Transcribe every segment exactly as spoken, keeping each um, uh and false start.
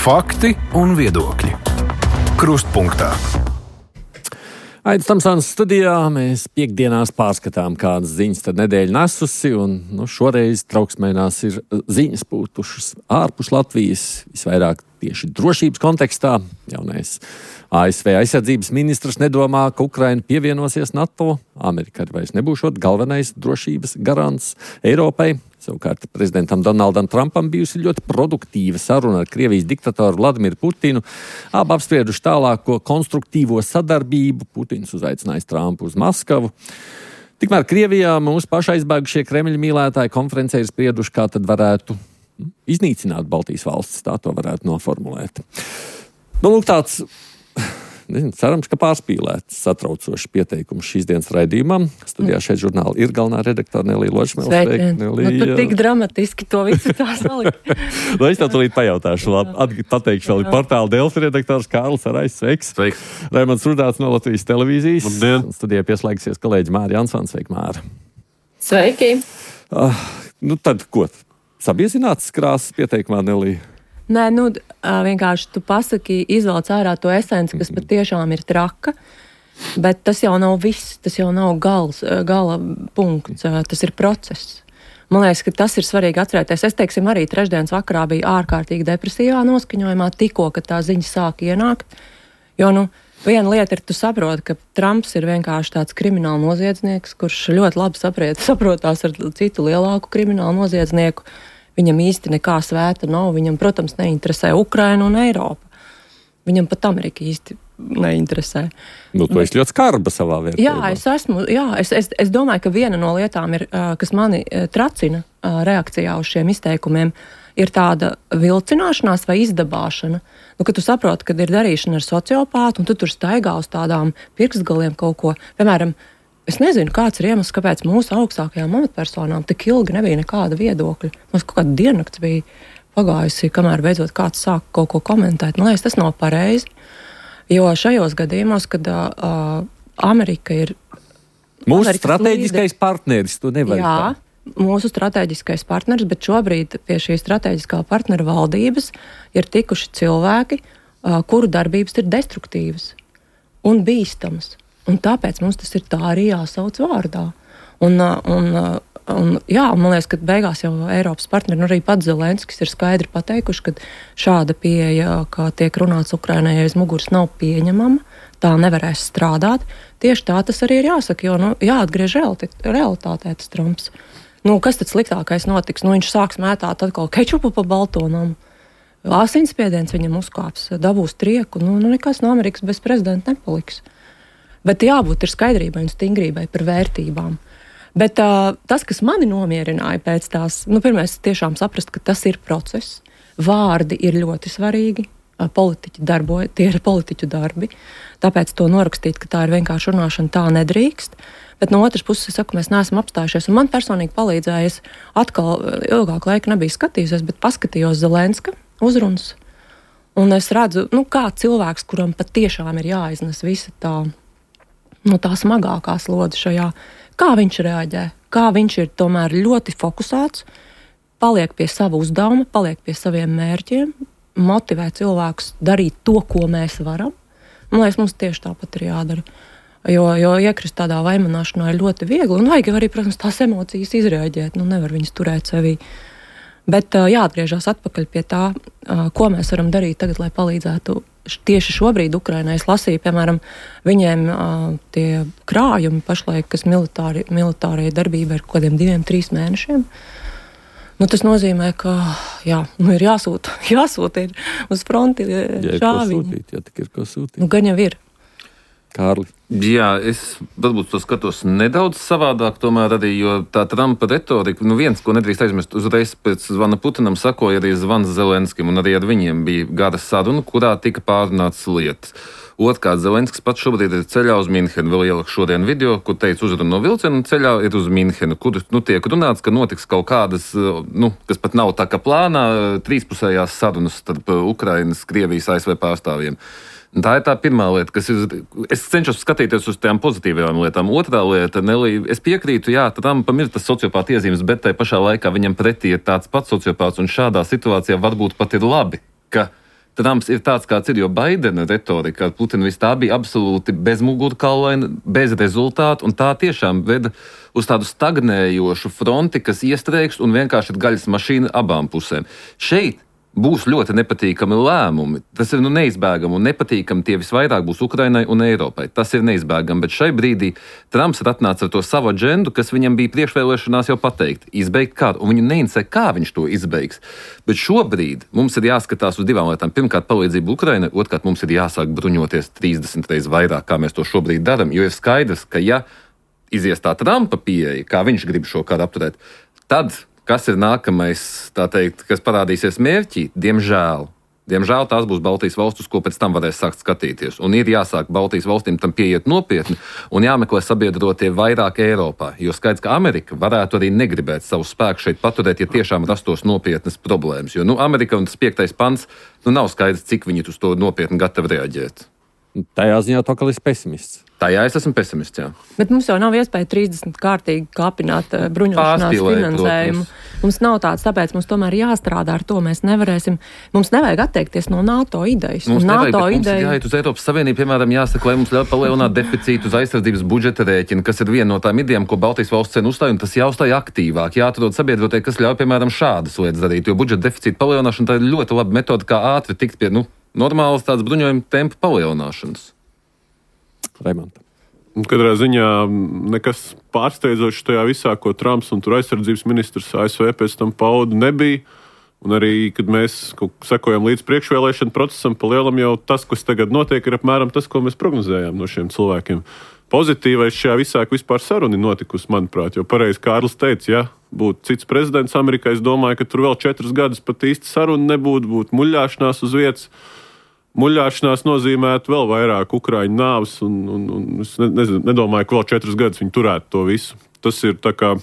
Fakti un viedokļi. Krustpunktā. Aidis Tamsons studijā. Mēs piekdienās pārskatām, kādas ziņas tad nedēļa nesusi, un nu, šoreiz trauksmēnās ir ziņas putušas ārpus Latvijas, visvairāk tieši drošības kontekstā. Jaunais A S V aizsardzības ministrs nedomā, ka Ukraina pievienosies NATO. Amerika arī vairs nebūšot galvenais drošības garants Eiropai. Savukārt prezidentam Donaldam Trumpam bijusi ļoti produktīva saruna ar Krievijas diktatoru Vladimiru Putinu. Abi apsprieduši tālāko konstruktīvo sadarbību. Putins uzaicinājis Trumpu uz Maskavu. Tikmēr Krievijā mūsu pašaizbēgušie Kremļa mīlētāji konferencē ir sprieduši, kā tad varētu iznīcināt Baltijas valstis. Tā to varētu noformulēt. Nu, lūk, tāds... Nezinu, cerams, ka pārspīlēts satraucošs pieteikums šīs dienas raidījumam. Studijā šeit žurnāla ir galvenā redaktore Nelija Ločmēle. Sveiki, Nelija. Nu, tu tik dramatiski to visu tā saliki. Nu, es tev tūlīt pajautāšu, labi, pateikšu vēl portāla Delfi redaktors Kārlis Arais. Sveiks. Sveiks. Raimonds Rudāts no Latvijas televīzijas. Labdien. Studijā pieslēgsies kolēģi Māra Jansons. Sveiki, Māra. Sveiki. Uh, nu tad, ko? Sabiezināts krāsas pieteikumā, Nelija? Nē, nu, vienkārši tu pasaki, izvelc ārā to esenci, kas patiešām ir traka, bet tas jau nav viss, tas jau nav gals, gala punkts, tas ir process. Man liekas, ka tas ir svarīgi atcerēties. Es, teiksim, arī trešdienas vakarā biju ārkārtīgi depresīvā noskaņojumā, tikko, kad tā ziņa sāk ienākt, jo, nu, viena lieta ir, tu saproti, ka Trumps ir vienkārši tāds krimināla noziedznieks, kurš ļoti labi saprot, saprotās ar citu lielāku kriminālu noziedznieku. Viņam īsti nekā svēta nav. Viņam, protams, neinteresē Ukraina un Eiropa. Viņam pat Amerika īsti neinteresē. Nu, tu esi ļoti skarba savā vērtībā. Jā, es esmu. Jā, es, es, es domāju, ka viena no lietām, ir, kas mani tracina reakcijā uz šiem izteikumiem, ir tāda vilcināšanās vai izdabāšana. Nu, kad tu saproti, kad ir darīšana ar sociopātu, un tu tur staigā uz tādām pirkstgaliem kaut ko, piemēram, es nezinu, kāds ir iemesls, kāpēc mūsu augstākajām amatpersonām tik ilgi nebija nekāda viedokļa. Mums kaut kāda diennakts bija pagājusi, kamēr beidzot kāds sāk kaut ko komentēt. Man liekas, tas nav pareizi, jo šajos gadījumos, kad uh, Amerika ir... Mūsu Amerikas strateģiskais līderi, partneris, tu nevari. Jā, mūsu strateģiskais partneris, bet šobrīd pie šī strateģiskā partnera valdības ir tikuši cilvēki, uh, kuru darbības ir destruktīvas un bīstamas. Un tāpēc mums tas ir tā arī jāsauc vārdā. Un, un, un, jā, man liekas, ka beigās jau Eiropas partneri, nu arī pats Zelenskis ir skaidri pateikuši, ka šāda pieeja, kā tiek runāts Ukrainai aiz muguras, nav pieņemama, tā nevarēs strādāt. Tieši tā tas arī ir jāsaka, jo nu, jāatgriež realitātē tas Trumps. Nu, kas tad sliktākais notiks? Nu, viņš sāks mētāt atkal kečupu pa baltonam. Asinsspiediens viņam uzkāps, dabūs trieku, nu, nu nekas no Amerikas bez prezidenta nepaliks. Bet jābūt ir skaidrībai un stingrībai par vērtībām. Bet uh, tas, kas mani nomierināja pēc tās, nu, pirmais tiešām saprast, ka tas ir process. Vārdi ir ļoti svarīgi, uh, politiķi darboja, tie ir politiķu darbi. Tāpēc to norakstīt, ka tā ir vienkārši runāšana, tā nedrīkst. Bet no otras puses, es saku, mēs neesam apstājušies. Un man personīgi palīdzēja, es atkal ilgāku laiku nebiju skatījusies, bet paskatījos Zelenska uzrunas. Un es redzu, nu, kā cilvēks, kuram patiešām ir jāiznes visa tā, nu, tā smagākā slodze šajā, kā viņš reaģē, kā viņš ir tomēr ļoti fokusēts, paliek pie sava uzdevuma, paliek pie saviem mērķiem, motivē cilvēkus darīt to, ko mēs varam. Man liekas, mums tieši tāpat ir jādara. Jo, jo iekrist tādā vaimanāšanā ir ļoti viegli, un vajag arī, protams, tās emocijas izrēģēt, nu nevar viņas turēt sevī. Bet jāatgriežas atpakaļ pie tā, ko mēs varam darīt tagad, lai palīdzētu tieši šobrīd Ukrainai. Es lasīju, piemēram, viņiem tie krājumi pašlaik, kas militāri, militārai darbība ir kaut kādiem diviem, trīs mēnešiem. Nu, tas nozīmē, ka jā, nu, ir jāsūta, jāsūta ir uz fronti šāviņi. Jā, ir ko sūtīt, jā, tik ir ko sūtīt. Nu, gan jau ir. Kārli. Jā, es varbūt to skatos nedaudz savādāk, tomēr arī, jo tā Trumpa retorika, nu viens, ko nedrīkst aizmirst, uzreiz pēc zvana Putinam sakoja arī zvans Zelenskim, un arī ar viņiem bija gara saruna, kurā tika pārunāts lietas. Otrkārt, Zelenskis pats šobrīd ir ceļā uz Minhenu, vēl ieliku šodien video, kur teica uzrunu no vilciena, un ceļā ir uz Minhenu, kur nu, tiek runāts, ka notiks kaut kādas, nu, kas pat nav tā kā plānā, trīspusējās sarunas starp Ukrainas, Krievijas, A S V pārstāvjiem. Tā ir tā pirmā lieta, kas ir. Es cenšos skatīties uz tām pozitīvajām lietām. Otrā lieta, Nelija, es piekrītu, jā, Trumpam ir tas sociopāta iezīmes, bet tai pašā laikā viņam pretī ir tāds pats sociopāts, un šādā situācijā varbūt pat ir labi, ka Trumps ir tāds, kāds ir, jo Baidena retorika ar Putinu viss tā bija absolūti bezmugurkaulaina, bez rezultātu, un tā tiešām veda uz tādu stagnējošu fronti, kas iestrēgst un vienkārši ir gaļas mašīna abām pusēm. Šeit būs ļoti nepatīkami lēmumi. Tas ir nu, neizbēgami un nepatīkami. Tie visvairāk būs Ukrainai un Eiropai. Tas ir neizbēgami, bet šai brīdī Trumps ir atnācis ar to savu agendu, kas viņam bija priekšvēlēšanās jau pateikt. Izbeigt kādu, un viņu neinteresē, kā viņš to izbeigs. Bet šobrīd mums ir jāskatās uz divām lietām. Pirmkārt, palīdzību Ukrainai, otrkārt, mums ir jāsāk bruņoties trīsdesmit reizes vairāk, kā mēs to šobrīd darām, jo ir skaidrs, ka ja izies tā Trumpa pieeja, kā viņš grib šo karu apturēt, tad kas ir nākamais, tā teikt, kas parādīsies mērķī? Diemžēl. Diemžēl tās būs Baltijas valstis, ko pēc tam varēs sākt skatīties. Un ir jāsāk Baltijas valstīm tam pieiet nopietni un jāmeklē sabiedrotie vairāk Eiropā. Jo skaidrs, ka Amerika varētu arī negribēt savu spēku šeit paturēt, ja tiešām rastos nopietnas problēmas. Jo nu, Amerika un tas piektais pants, nu nav skaidrs, cik viņi uz to nopietni gatavi reaģēt. Tajā ziņā to, ka es pessimists. Tajā es esmu pesimists, jā. Bet mums jau nav iespēja trīsdesmit kārtīgi kāpināt uh, bruņošanās Pārspīlēt, finansējumu. protams. Mums nav tāds, tāpēc mums tomēr jāstrādā ar to. Mēs nevarēsim, mums nevajag atteikties no NATO idejas. Mums nevajag, NATO bet mums ideja... ir jāiet uz Eiropas Savienību, piemēram, jāsaka, lai mums ļauj palielināt deficītu uz aizsardzības budžeta rēķina, kas ir viena no tām idejām, ko Baltijas valsts cen uzstāj, un tas jāuzstāj aktīvāk. Jāatrod sabiedrotie, kas ļauj, piemēram, šādas lietas darīt, jo budžeta deficīta palielināšana tā ir ļoti laba metode, kā ātri tikt pie, nu, normālas tādas bruņojuma tempa palielināšanas. Raimond. Katrā ziņā nekas pārsteidzošs tajā visā, ko Trumps un tur aizsardzības ministrs A S V pēc tam pauda, nebija. Un arī, kad mēs sekojam līdz priekšvēlēšanu procesam, pa lielam jau tas, kas tagad notiek, ir apmēram tas, ko mēs prognozējām no šiem cilvēkiem. Pozitīvais šajā visā, ka vispār saruna notikusi, manuprāt, jo pareizi Kārlis teica, ja būtu cits prezidents Amerikā, es domāju, ka tur vēl četrus gadus pat īsti saruna nebūtu, būtu muļāšanās uz vietas. Muļāšanās nozīmētu vēl vairāk Ukraiņu nāves, un, un, un es ne, nezinu, nedomāju, ka vēl četrus gadus viņi turētu to visu. Tas ir tā kā,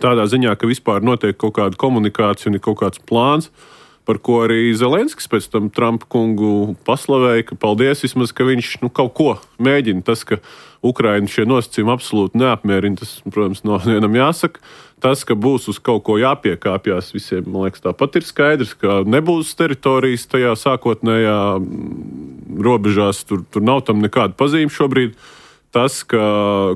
tādā ziņā, ka vispār notiek kaut kāda komunikācija un ir kaut kāds plāns, par ko arī Zelenskis pēc tam Trumpa kungu paslavēja, ka paldies vismaz, ka viņš nu, kaut ko mēģina. Tas, ka Ukraiņu šie nosacījumi absolūti neapmierina, tas, protams, no vienam jāsaka. Tas, ka būs uz kaut ko jāpiekāpjas visiem, man liekas, tāpat ir skaidrs, ka nebūs teritorijas tajā sākotnējā robežās, tur, tur nav tam nekāda pazīme šobrīd. Tas, ka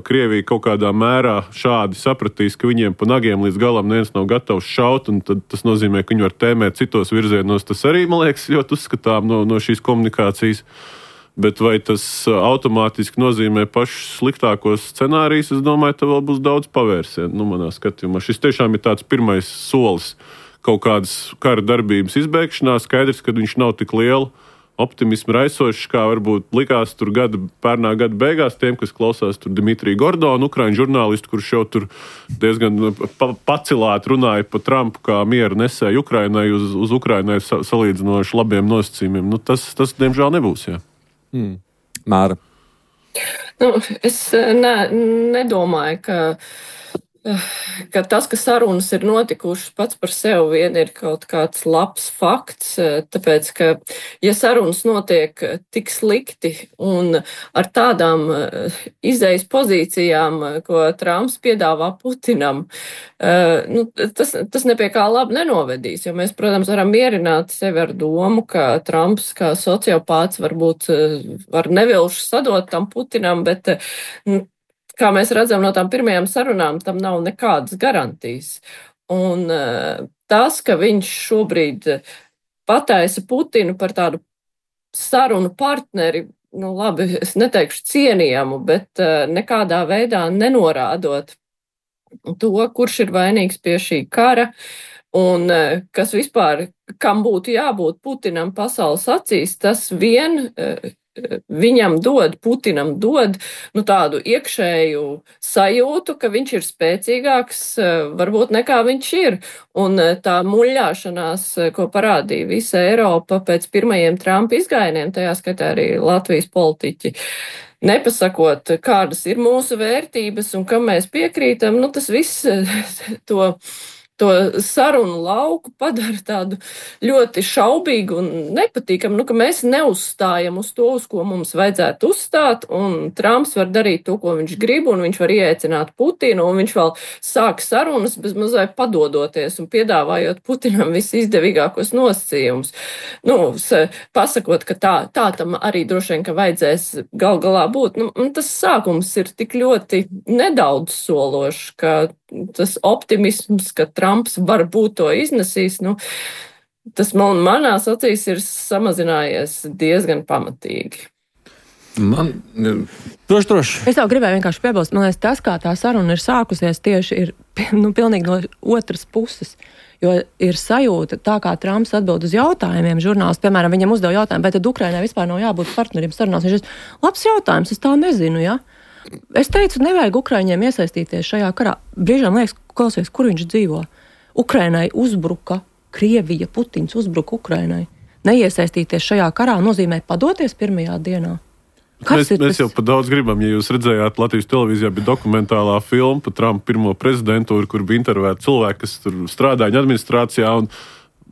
Krievija kaut kādā mērā šādi sapratīs, ka viņiem pa nagiem līdz galam neviens nav gatavs šaut, un tad tas nozīmē, ka viņi var tēmēt citos virzienos. Tas arī, man liekas, ļoti uzskatām no, no šīs komunikācijas. Bet vai tas automātiski nozīmē pašus sliktākos scenārijus, es domāju, ka vēl būs daudz pavērsienu, nu, manā skatījumā. Šis tiešām ir tāds pirmais solis kaut kādas kara darbības izbeigšanā. Skaidrs, ka viņš nav tik liela optimismu raisošs, kā varbūt likās tur gada, pērnā gada beigās tiem, kas klausās tur Dmitriju Gordonu, ukraiņu žurnālistu, kurš jau tur diezgan pa, pacilāti runāja pa Trumpu kā mieru nesēju Ukrainai uz, uz Ukrainai sa, salīdzinoši labiem nosacījumiem. Nu, tas, tas, diemžēl, nebūs, jā. Hmm. Māra. Nu, es ne, nedomāju, ka, ka tas, ka sarunas ir notikušas pats par sevi vien ir kaut kāds labs fakts, tāpēc, ka ja sarunas notiek tik slikti un ar tādām izējas pozīcijām, ko Trumps piedāvā Putinam, nu, tas, tas nepie kā labi nenovedīs, jo mēs, protams, varam mierināt sevi ar domu, ka Trumps kā sociopāts varbūt var nevilši sadot tam Putinam, bet nu, kā mēs redzam no tām pirmajām sarunām, tam nav nekādas garantijas. Un tas, ka viņš šobrīd pataisa Putinu par tādu sarunu partneri, nu labi, es neteikšu cienījamu, bet nekādā veidā nenorādot to, kurš ir vainīgs pie šī kara, un kas vispār, kam būtu jābūt Putinam pasaules acīs, tas vien viņam dod, Putinam dod nu, tādu iekšēju sajūtu, ka viņš ir spēcīgāks varbūt nekā viņš ir. Un tā muļāšanās, ko parādīja visa Eiropa pēc pirmajiem Trumpa izgājieniem, tajā skatā arī Latvijas politiķi, nepasakot, kādas ir mūsu vērtības un kam mēs piekrītam, nu tas viss to to sarunu lauku padara tādu ļoti šaubīgu un nepatīkamu, nu, ka mēs neuzstājam uz to, uz ko mums vajadzētu uzstāt, un Trumps var darīt to, ko viņš grib, un viņš var ieaicināt Putinu, un viņš vēl sāk sarunas bez mazliet padodoties un piedāvājot Putinam visizdevīgākos nosacījumus. Nu, pasakot, ka tā, tā tam arī droši vien, ka vajadzēs gal galā būt. Nu, tas sākums ir tik ļoti nedaudz sološs, ka tas optimisms, ka Trumps varbūt to iznesīs, nu, tas man, manās acīs ir samazinājies diezgan pamatīgi. Man... Droši, droši. Es jau gribēju vienkārši piebilst, man liekas, tas, kā tā saruna ir sākusies, tieši ir nu, pilnīgi no otras puses. Jo ir sajūta, tā kā Trumps atbild uz jautājumiem, žurnālisti, piemēram, viņam uzdeva jautājumu, vai tad Ukrainai vispār nav jābūt partneriem sarunās. Viņš ir, labs jautājums, es tā nezinu, ja? Es teicu, nevajag Ukraiņiem iesaistīties šajā karā. Brīžām liekas, klausies, kur viņš dzīvo. Ukrainai uzbruka Krievija, Putins uzbruka Ukrainai. Neiesaistīties šajā karā nozīmē padoties pirmajā dienā. Mēs, tas... mēs jau pa daudz gribam, ja jūs redzējāt, Latvijas televīzijā bija dokumentālā filma par Trumpa pirmo prezidentūru, kur bija intervēti cilvēki, kas tur strādāja administrācijā, un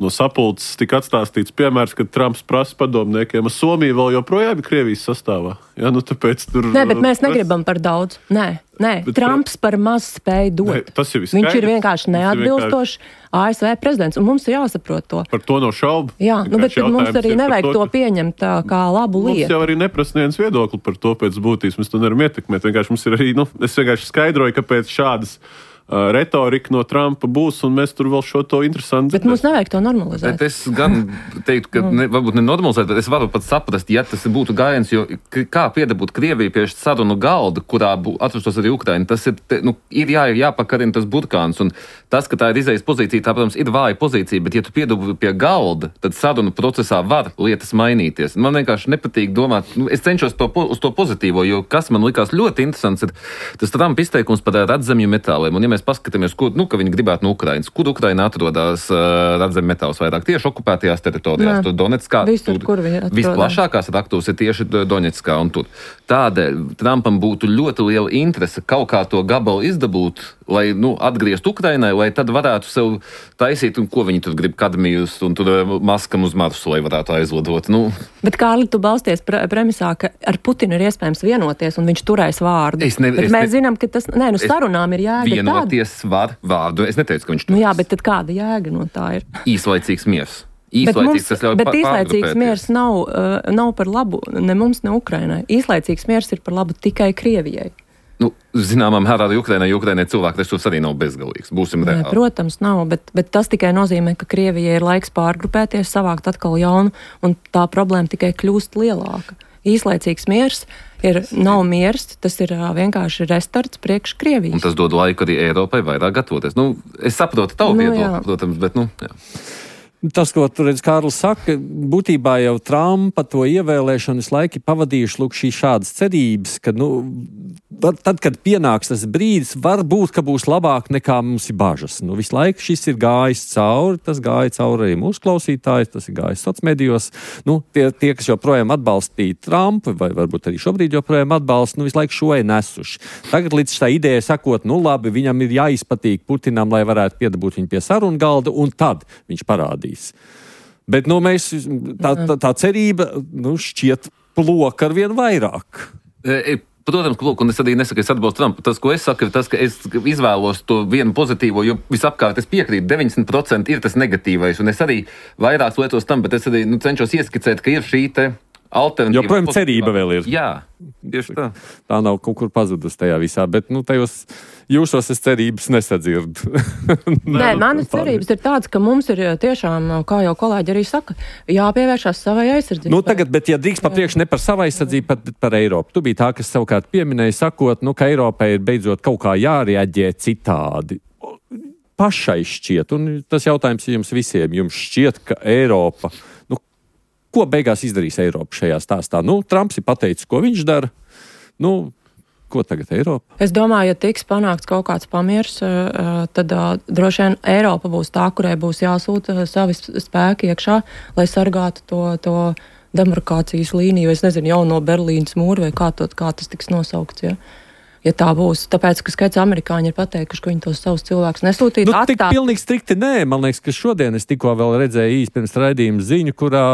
no sapulces tika atstāstīts piemērs, kad Trumps prasa padomniekiem, ka Somija vēl joprojām ir Krievijas sastāvā. Ja, nu, tāpēc tur... Nē, bet mēs negribam par daudz. Nē, nē. Bet Trumps par maz spēj dot. Nē, tas ir Viņš ir vienkārši neatbilstošs A S V prezidents, un mums ir jāsaprot to. Par to nav šaubu. Jā, nu, bet mums arī nevajag to, to pieņemt tā, kā labu lietu. Mums jau arī neprasa neviens viedokli par to pēc būtības. Mēs to nevaram ietekmēt. Vienkārši mums ir arī, nu, es vienkārši skaidroju, kāpēc šādas Uh, retorika no Trumpa būs, un mēs tur vēl šo to interesantu. Bet mums nevajag to normalizēt. Bet es gan teiktu, ka ne, varbūt ne normalizēt, bet es varu pat saprast, ja tas būtu gājiens, jo kā piedabūt Krieviju pie sarunu galda, kurā atrastos arī Ukraina, tas ir, te, nu, ir jā, jāpakarina tas burkāns, un tas, ka tā ir izējas pozīcija, tā, protams, ir vāja pozīcija, bet ja tu piedabū pie galda, tad sarunu procesā var lietas mainīties. Man vienkārši nepatīk domāt, nu, es cenšos to, uz to pozitīvo, jo kas man likās ļoti interesants, ir tas Trumpa izteikums par redzamju metāliem, un ja mēs paskatāmies, kur, nu, ka viņi gribētu no Ukrainas. Kur Ukraina atrodas uh, redzami metāls vairāk? Tieši okupētajās teritorijās. Tur Donetskā. Visur, kur viņi atrodas. Visplašākās raktūras ir tieši Donetskā un tur. Tādēļ Trumpam būtu ļoti liela interese kaut kā to gabalu izdabūt, lai, nu, atgriezt Ukrainai, lai tad varētu sev taisīt, un ko viņi tur grib kadmijus, un tur maskam uz Marsu, lai varētu aizlidot. Nu. Bet, Kārli, tu balsties pre premisā, ka ar Putinu ir iespējams vienoties, un viņš turēs vārdu. Es ne, bet es mēs ne, zinām, ka tas, nē, nu, sarunām ir jēga tāda. Vienoties var vārdu. Es neteicu, ka viņš to. Nu jā, bet tad kāda jēga no tā ir? Īslaicīgs miers. Īslaicīgs, bet mums, bet īslaicīgs miers nav, uh, nav par labu ne mums, ne Ukrainai. Īslaicīgs miers ir par labu tikai Krievijai. Nu, zināmā mērā arī Ukrainai, jo Ukrainai cilvēku resursi arī nav bezgalīgs. Būsim reāli. Jā, protams, nav, bet, bet tas tikai nozīmē, ka Krievijai ir laiks pārgrupēties, savākt atkal jaunu, un tā problēma tikai kļūst lielāka. Īslaicīgs miers ir, nav miers, tas ir uh, vienkārši restarts priekš Krievijas. Un tas dod laiku arī Eiropai vairāk gatavoties. Nu, es saprotu tavu Nu, viedokli, jā. protams, bet, nu, jā. Tas, ko tur redz Kārlis saka, būtībā jau Trumpa to ievēlēšanu visu laiku pavadījuši lūk šī šādas cerības, ka, nu, tad, kad pienāks tas brīdis, varbūt, ka būs labāk nekā mums ir bažas. Nu, visu laiku šis ir gājis cauri, tas gāja cauri arī mūsu klausītājs, tas ir gājis socmedijos. Nu, tie, tie, kas joprojām atbalstīja Trumpu, vai varbūt arī šobrīd joprojām atbalsta, nu, visu laiku šo ir nesuši. Tagad līdz šā ideja sakot, nu, labi, viņam ir jāizpatīk Putinam, lai varētu piedabūt viņu pie sarunu galda, un tad viņš parādīs. Bet nu, mēs, tā, tā, tā cerība nu, šķiet plok ar vien vairāk. E, protams, plok, un es arī nesaku, es atbalstu Trumpu. Tas, ko es saku, ir tas, ka es izvēlos to vienu pozitīvo, jo visapkārt es piekrītu, deviņdesmit procenti ir tas negatīvais, un es arī vairāk lietos tam, bet es arī nu, cenšos ieskicēt, ka ir šī te alternatīva. Joprojām cerība vēl ir. Jā, tieši tā. Tā nav kaut kur pazudusi tajā visā, bet nu, tajos jūsos es cerības nesadzirdu. Nē, manas cerības ir tādas, ka mums ir tiešām, kā jau kolēģi arī saka, jāpievēršās savai aizsardzībai. Nu, tagad, bet ja drīkst papriekš ne par savu aizsardzību, bet par Eiropu. Tu biji tā, kas savukārt pieminēja, sakot, nu, ka Eiropai ir beidzot kaut kā jārēģē citādi. Pašai šķiet, un tas jautājums jums visiem, jums šķiet, ka Eiropa, nu, ko beigās izdarīs Eiropa šajā stāstā? Nu, Trumps ir pateicis, ko viņš dara. Nu, ko tagad Eiropa? Es domāju, ja tiks panākts kaut kāds pamiers, tad droši vien Eiropa būs tā, kurai būs jāsūta savi spēki iekšā, lai sargātu to, to demarkācijas līniju, es nezinu, jauno Berlīnas mūru vai kā, to, kā tas tiks nosaukts. Ja? ja tā būs. Tāpēc, ka skaits amerikāņi ir pateikuši, ka viņi tos savus cilvēkus nesūtīt. Nu, tik pilnīgi strikti nē. Man liekas, ka šodien es tikko vēl redzēju īsti pirms raidījuma ziņu, kurā,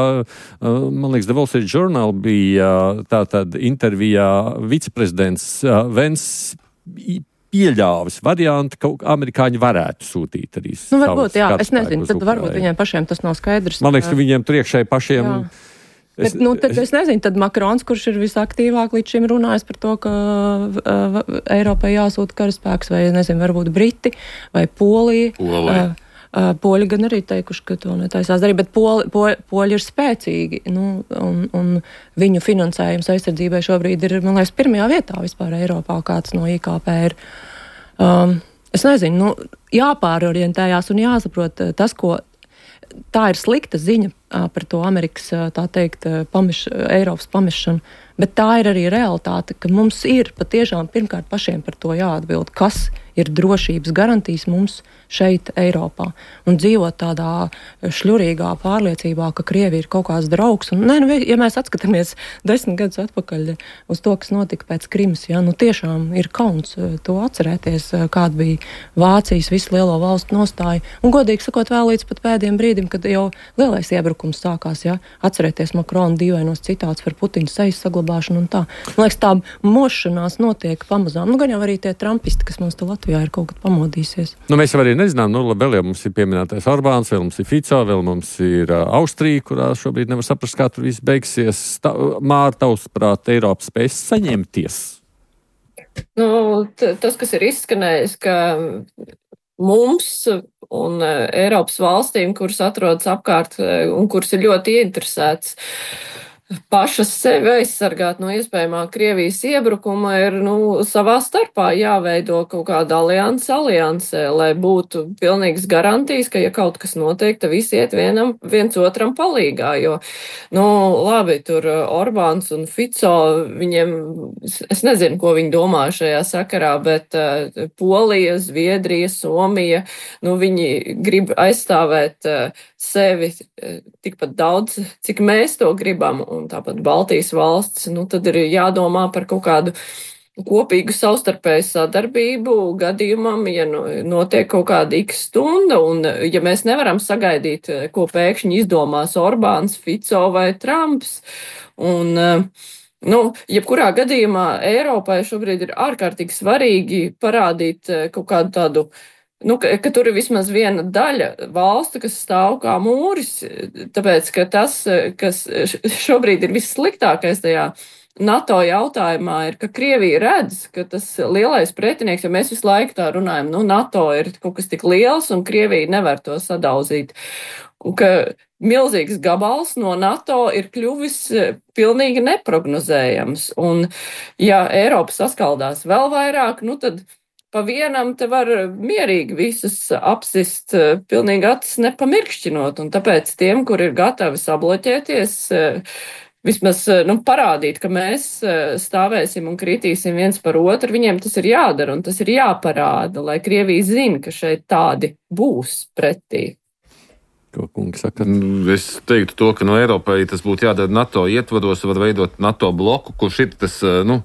man liekas, The Wall Street Journal bija tātad intervijā viceprezidents Vens pieļāvis variantu, ka amerikāņi varētu sūtīt arī. Nu, varbūt, jā, es nezinu, tad varbūt viņiem pašiem tas nav skaidrs. Man liekas, ka viņiem tur iekšēji pašiem. Jā. Es, bet, nu, tad es nezinu, tad Makrons, kurš ir visaktīvāk līdz šim runājis par to, ka uh, Eiropai jāsūta karaspēks, vai, nezinu, varbūt Briti, vai Polija. Polija. Uh, uh, Poļi gan arī teikuši, ka to netaisās darīt, bet Poli, po, Poļi ir spēcīgi, nu, un, un viņu finansējums aizsardzībai šobrīd ir, man liekas, pirmajā vietā vispār Eiropā, kāds no I K P ir. Um, es nezinu, nu, jāpārorientējās un jāsaprot tas, ko tā ir slikta ziņa par to Amerikas, tā teikt, pameš, Eiropas pamešanu, bet tā ir arī realitāte, ka mums ir patiešām pirmkārt pašiem par to jāatbild, kas ir drošības garantijas mums šeit Eiropā. Un dzīvot tādā šļurīgā pārliecībā, ka Krievija ir kaut kāds draugs. Un, ne, nu, ja mēs atskatāmies desmit gadus atpakaļ uz to, kas notika pēc Krimas, ja, nu tiešām ir kauns to atcerēties, kāda bija Vācijas visu lielo valstu nostāja. Un godīgi sakot, vēl līdz pat pēdējiem brīdim, kad jau lielais iebrukums sākās, ja, atcerēties Makrona dīvainos citāts par Putina sejas saglabāšanu un tā. Man liekas, tā mošanās notiek pamazām. Nu, gan jau arī tie trumpisti, kas mums te Latvijā ir kaut kad pamodīsies. Nu, mēs jau arī nezinām, nu, vēl jau mums ir pieminētais Orbāns, vēl mums ir Fico, vēl mums ir uh, Austrija, kurā šobrīd nevar saprast, kā tur viss beigsies. Tā, Māra, tavuprāt, Eiropa spēs saņemties? Nu, t- tas, kas ir izskanējis, ka mums un uh, Eiropas valstīm, kuras atrodas apkārt uh, un kuras ir ļoti ieinteresētas pašas sevi aizsargāt no iespējamā Krievijas iebrukuma, ir nu, savā starpā jāveido kaut kāda alianse aliansē, lai būtu pilnīgas garantijas, ka ja kaut kas notiek, tad visi iet vienam, viens otram palīgā, jo, nu, labi, tur Orbāns un Fico, viņiem, es nezinu, ko viņi domā šajā sakarā, bet uh, Polija, Zviedrija, Somija, nu, viņi grib aizstāvēt uh, sevi uh, tikpat daudz, cik mēs to gribam, un tāpat Baltijas valsts, nu tad ir jādomā par kaut kādu kopīgu savstarpēju sadarbību gadījumam, ja nu, notiek kaut kāda x stunda, un ja mēs nevaram sagaidīt, ko pēkšņi izdomās Orbāns, Fico vai Trumps, un nu, jebkurā gadījumā Eiropai šobrīd ir ārkārtīgi svarīgi parādīt kaut kādu tādu Nu, ka, ka tur ir vismaz viena daļa valstu, kas stāv kā mūris, tāpēc, ka tas, kas šobrīd ir vissliktākais tajā NATO jautājumā, ir, ka Krievija redz, ka tas lielais pretinieks, jo mēs visu laiku tā runājam, nu, NATO ir kaut kas tik liels, un Krievija nevar to sadauzīt. Un ka milzīgs gabals no NATO ir kļuvis pilnīgi neprognozējams. Un, ja Eiropa saskaldās vēl vairāk, nu, tad pa vienam te var mierīgi visus apsist, pilnīgi acis nepamirkšķinot, un tāpēc tiem, kur ir gatavi sabloķēties, vismaz nu, parādīt, ka mēs stāvēsim un kritīsim viens par otru, viņiem tas ir jādara un tas ir jāparāda, lai Krievija zina, ka šeit tādi būs pretī. Ko kungi saka? Es teiktu to, ka no Eiropai tas būtu jādara NATO ietvaros, var veidot NATO bloku, kurš ir tas, nu,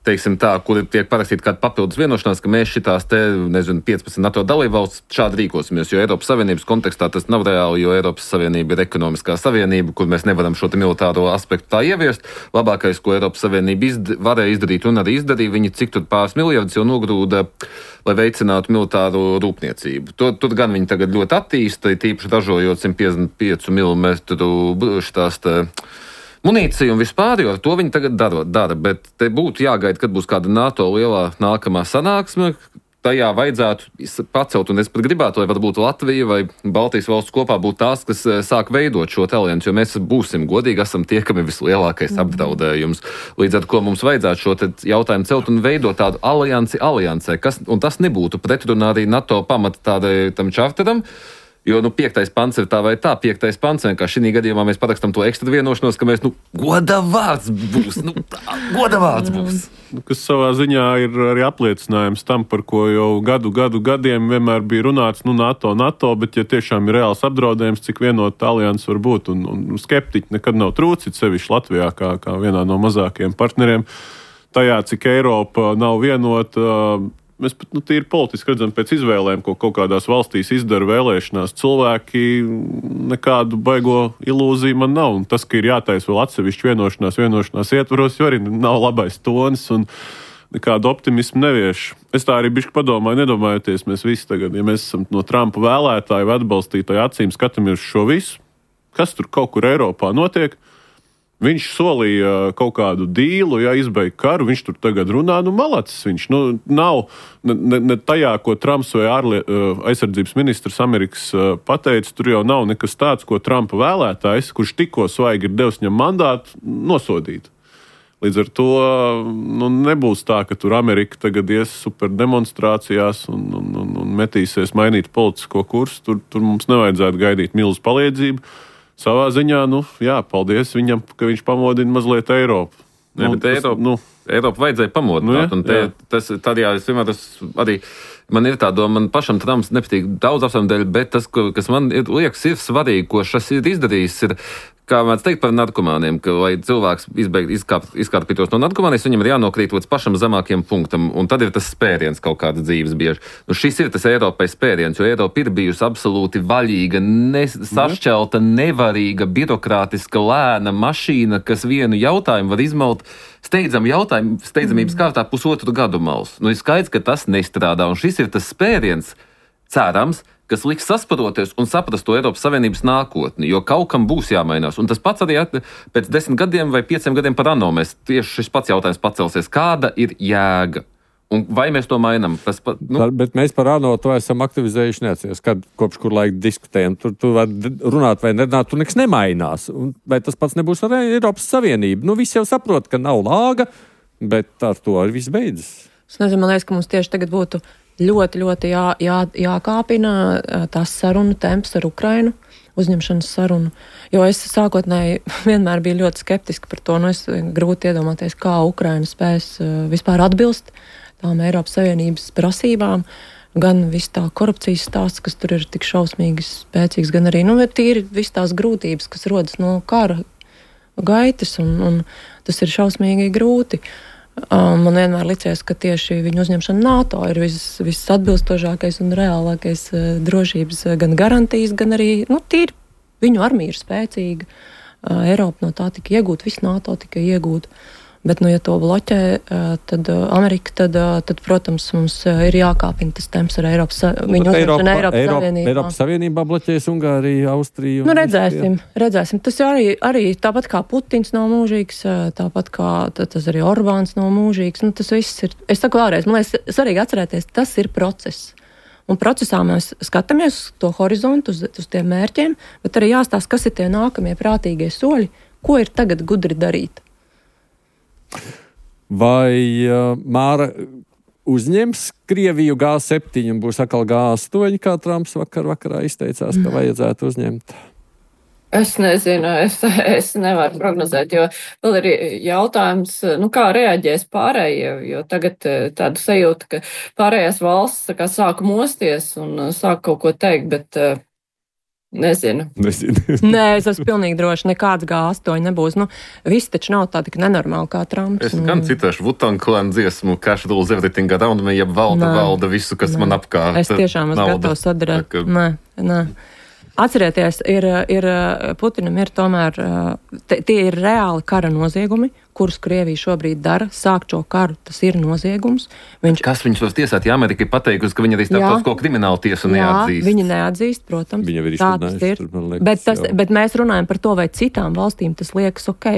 teiksim tā, kur tiek parakstīta kāda papildus vienošanās, ka mēs šitās te, nezinu, piecpadsmit NATO dalībvalstis šādi rīkosimies, jo Eiropas Savienības kontekstā tas nav reāli, jo Eiropas Savienība ir ekonomiskā savienība, kur mēs nevaram šo te militāro aspektu tā ieviest. Labākais, ko Eiropas Savienība izd- varēja izdarīt un arī izdarīja, viņi cik tur pāris miljardus jau nogrūda, lai veicinātu militāro rūpniecību. Tur, tur gan viņi tagad ļoti attīsta, tīpaši ražojot simt piecdesmit pieci milimetru šitās te munīciju un vispār, jo ar to viņi tagad dara, dara, bet te būtu jāgaida, kad būs kāda NATO lielā nākamā sanāksme, tajā vajadzētu pacelt, un es pat gribētu, lai varbūt Latvija vai Baltijas valsts kopā būtu tās, kas sāk veidot šo aliansi, jo mēs būsim godīgi, esam tie, kam ir vislielākais apdraudējums. Līdz ar ko mums vajadzētu šo jautājumu celt un veidot tādu aliansi aliansē, kas, un tas nebūtu pretrunā arī NATO pamata tādai tam čarteram, jo, nu, piektais pants ir tā vai tā, piektais pants, vienkārši šī gadījumā mēs parakstam to ekstra vienošanos, ka mēs, nu, goda vārds būs, nu, tā, goda vārds būs. Kas savā ziņā ir arī apliecinājums tam, par ko jau gadu, gadu, gadiem vienmēr bija runāts, nu, NATO, NATO, bet ja tiešām ir reāls apdraudējums, cik vienota alianses var būt, un, un skeptiķi nekad nav trūcit, sevišķi Latvijā, kā, kā vienā no mazākajiem partneriem, tajā, cik Eiropa nav vienota. Mēs pat nu, tīri politiski redzam pēc izvēlēm, ko kaut kādās valstīs izdara vēlēšanās. Cilvēki nekādu baigo ilūziju man nav. Un tas, ka ir jātaisa vēl atsevišķi vienošanās, vienošanās ietvaros, jo arī nav labais tonis un nekādu optimismu nevieš. Es tā arī bišķi padomāju, nedomājoties mēs visi tagad, ja mēs esam no Trumpa vēlētāju vai atbalstītāju acīm skatāmies šo visu, kas tur kaut kur Eiropā notiek. Viņš solīja kaut kādu dīlu, ja izbeigt karu, viņš tur tagad runā, nu malacis viņš. Nu, nav ne, ne tajā, ko Trumps vai ārlie, aizsardzības ministrs Amerikas pateica, tur jau nav nekas tāds, ko Trumpa vēlētājs, kurš tikko svaigi ir devis viņam mandātu, nosodīt. Līdz ar to nu, nebūs tā, ka tur Amerika tagad ies super demonstrācijās un, un, un, un metīsies mainīt politisko kursu. Tur, tur mums nevajadzētu gaidīt milzu palīdzību. Savā ziņā, nu, jā, paldies viņam, ka viņš pamodina mazliet Eiropu. Jā, bet Eiropu, nu, Eiropu vajadzēja pamodināt. Nu, jā, jā. Tas, tad, jā, es vienmēr tas arī, man ir tā doma, man pašam Trumps nepatīk daudz apsvērumu dēļ, bet tas, kas man ir, liekas, ir svarīgi, ko šis ir izdarījis, ir, kā mēs teikt par narkomāniem, ka, lai cilvēks izbeigt, izkāp, izkārpītos no narkomānijas, viņam ir jānokrīt līdz pašam zemākiem punktam, un tad ir tas spēriens kaut kādas dzīves bieži. Nu, šis ir tas Eiropai spēriens, jo Eiropa ir bijusi absolūti vaļīga, ne, sašķelta, nevarīga, birokrātiska, lēna mašīna, kas vienu jautājumu var izmalt steidzam jautājumu, steidzamības kārtā pusotru gadu mals. Nu, ir skaidrs, ka tas nestrādā, un šis ir tas spēriens, cerams, kas liks sasparoties un saprast to Eiropas Savienības nākotni, jo kaut kam būs jāmainās. Un tas pats arī pēc desmit gadiem vai pieciem gadiem par ANO mēs tieši šis pats jautājums pacelsies. Kāda ir jēga? Un vai mēs to mainām? Tas, pa, nu... Bet mēs par ANO to esam aktivizējuši neatceries, kad kopš kur laika diskutējam. Tur tu var runāt vai nerunāt, tur nekas nemainās. Un, vai tas pats nebūs ar Eiropas Savienību? Nu, visi jau saprot, ka nav lāga, bet ar to arī viss beidzas. Es nezinu, man liekas, ka mums tieši tagad būtu ļoti, ļoti jā, jā, jākāpina tās sarunu temps ar Ukrainu, uzņemšanas sarunu. Jo es sākotnēji vienmēr biju ļoti skeptiski par to. Nu, es grūti iedomāties, kā Ukraina spēs vispār atbilst tām Eiropas Savienības prasībām. Gan viss tā korupcijas stāsts, kas tur ir tik šausmīgi spēcīgs, gan arī, nu, tīri viss tās grūtības, kas rodas no kara gaitas, un, un tas ir šausmīgi grūti. Um, man vienmēr licies, ka tieši viņu uzņemšana NATO ir viss, viss atbilstošākais un reālākais uh, drošības uh, gan garantijas, gan arī, nu, tīri viņu armija ir spēcīga. Uh, Eiropa no tā tika iegūta, viss NATO tika iegūta. Bet, nu, ja to bloķē, uh, tad uh, Amerika, tad, uh, tad, protams, mums uh, ir jākāpina tas temps ar Eiropas, viņu uzņemšana Eiropas Eiropa, Savienībā. Eiropas Savienībā bloķēs Ungāriju, Austriju. Nu, redzēsim, redzēsim. Tas arī, arī tāpat kā Putins nav mūžīgs, tāpat kā tas arī Orbāns nav mūžīgs. Nu, tas viss ir, es saku vēlreiz, man liekas, svarīgi atcerēties, tas ir process. Un procesā mēs skatāmies uz to horizontu, uz, uz tiem mērķiem, bet arī jāstāsta, kas ir tie nākamie prātīgie soļi, ko ir tagad gudri darīt. Vai uh, Māra uzņems Krieviju G septiņi un būs atkal G astoņi, kā Trumps vakar vakarā izteicās, ka vajadzētu uzņemt? Es nezinu, es, es nevaru prognozēt, jo vēl ir jautājums, nu, kā reaģēs pārējie, jo tagad tāda sajūta, ka pārējās valsts tā kā sāk mosties un sāk kaut ko teikt, bet nezinu. Nezinu. Nē, es esmu pilnīgi droši, nekāds G astoņi nebūs. Nu, viss taču nav tā tik nenormāli kā Trumps. Es gan citēšu Wu-Tang Clan dziesmu, Cash rules everything around me, jeb valda, nē, valda visu, kas nē, man apkārt. Es tiešām esmu gatavs sadarēt. Ka... Nē, nē. Atcerieties, ir, ir, Putinam ir tomēr, tie ir reāli kara noziegumi, kurus Krievija šobrīd dara. Sākt šo karu, tas ir noziegums. Viņš... Kas viņus var tiesāt? Ja Amerika ir pateikusi, ka viņa arī starptautisko kriminālu tiesu neatzīst. Jā, viņi neatzīst, protams. Viņa ir tā tas ir. Liekas, bet, tas, bet mēs runājam par to, vai citām valstīm tas liekas ok.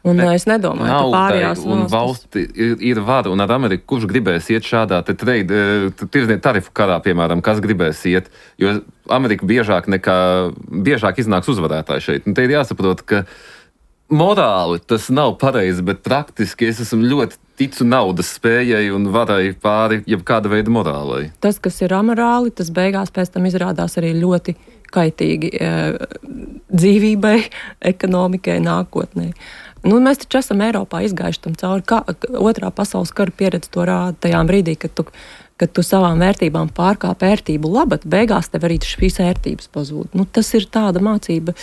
Un bet es nedomāju, ka pārējās un valsti ir, ir vara, un ar Ameriku, kurš gribēs iet šādā te trade, tirdzniecības tarifu karā, piemēram, kas gribēs iet, jo Amerika biežāk nekā, biežāk iznāks uzvarētāji šeit. Un te ir jāsaprot, ka morāli tas nav pareizi, bet praktiski es esmu ļoti ticu naudas spējai un varai pāri jebkāda veida morālai. Tas, kas ir amorāli, tas beigās pēc tam izrādās arī ļoti kaitīgi e, dzīvībai, ekonomikai, nākotnē. Nu, mēs taču esam Eiropā izgājuši tam cauri. Kā, otrā pasaules kara pieredze to rāda tajā brīdī, kad tu kad tu savām vērtībām pārkāp ērtību labad, beigās tev arī šīs ērtības pazūd. Nu, tas ir tāda mācība,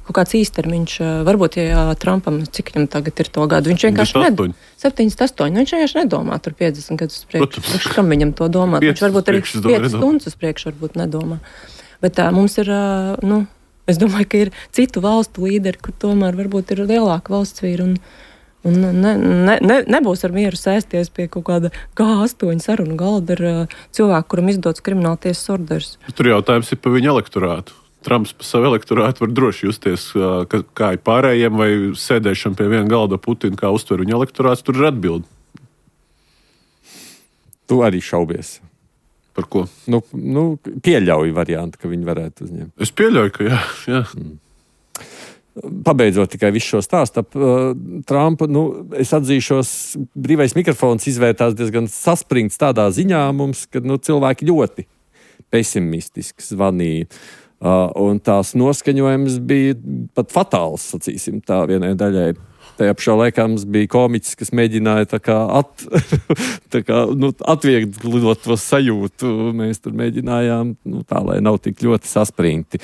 kaut kāds īstermiņš. Varbūt, ja Trumpam, cik viņam tagad ir to gadu, viņš vienkārši nedomā. septiņdesmit astoņi. Viņš vienkārši nedomā tur piecdesmit gadus uz priekšu. Kam viņam to domāt? Viņš varbūt arī piecas stundas uz priekšu varbūt nedomā. Bet tā, mums ir, nu, es domāju, ka ir citu valstu līderi, kur tomēr varbūt ir lielāka valsts vīra un Un ne, ne, ne, nebūs ar mieru sēsties pie kaut kāda G astoņi sarunu galda ar uh, cilvēku, kuram izdots krimināltiesas orders. Tur jautājums ir par viņu elektorātu. Trumps pa savu elektorātu var droši justies, uh, ka, kā ir pārējiem, vai sēdēšana pie viena galda Putina, kā uztver viņa elektorāts, tur ir atbildi. Tu arī šaubies. Par ko? Nu, nu, pieļauju variantu, ka viņi varētu uzņemt. Es pieļauju, ka jā. jā. Mm. Pabeidzot tikai visu šo stāstu ap uh, Trumpu, nu, es atzīšos, brīvais mikrofons izvērtās diezgan saspringts tādā ziņā mums, ka nu, cilvēki ļoti pesimistiski zvanīja. Uh, un tās noskaņojums bija pat fatāls, sacīsim tā vienai daļai. Tajā pašā laikā mums bija komiķis, kas mēģināja tā kā, at, tā kā nu, atvieglot to sajūtu. Mēs tur mēģinājām nu, tā, lai nav tik ļoti saspringti.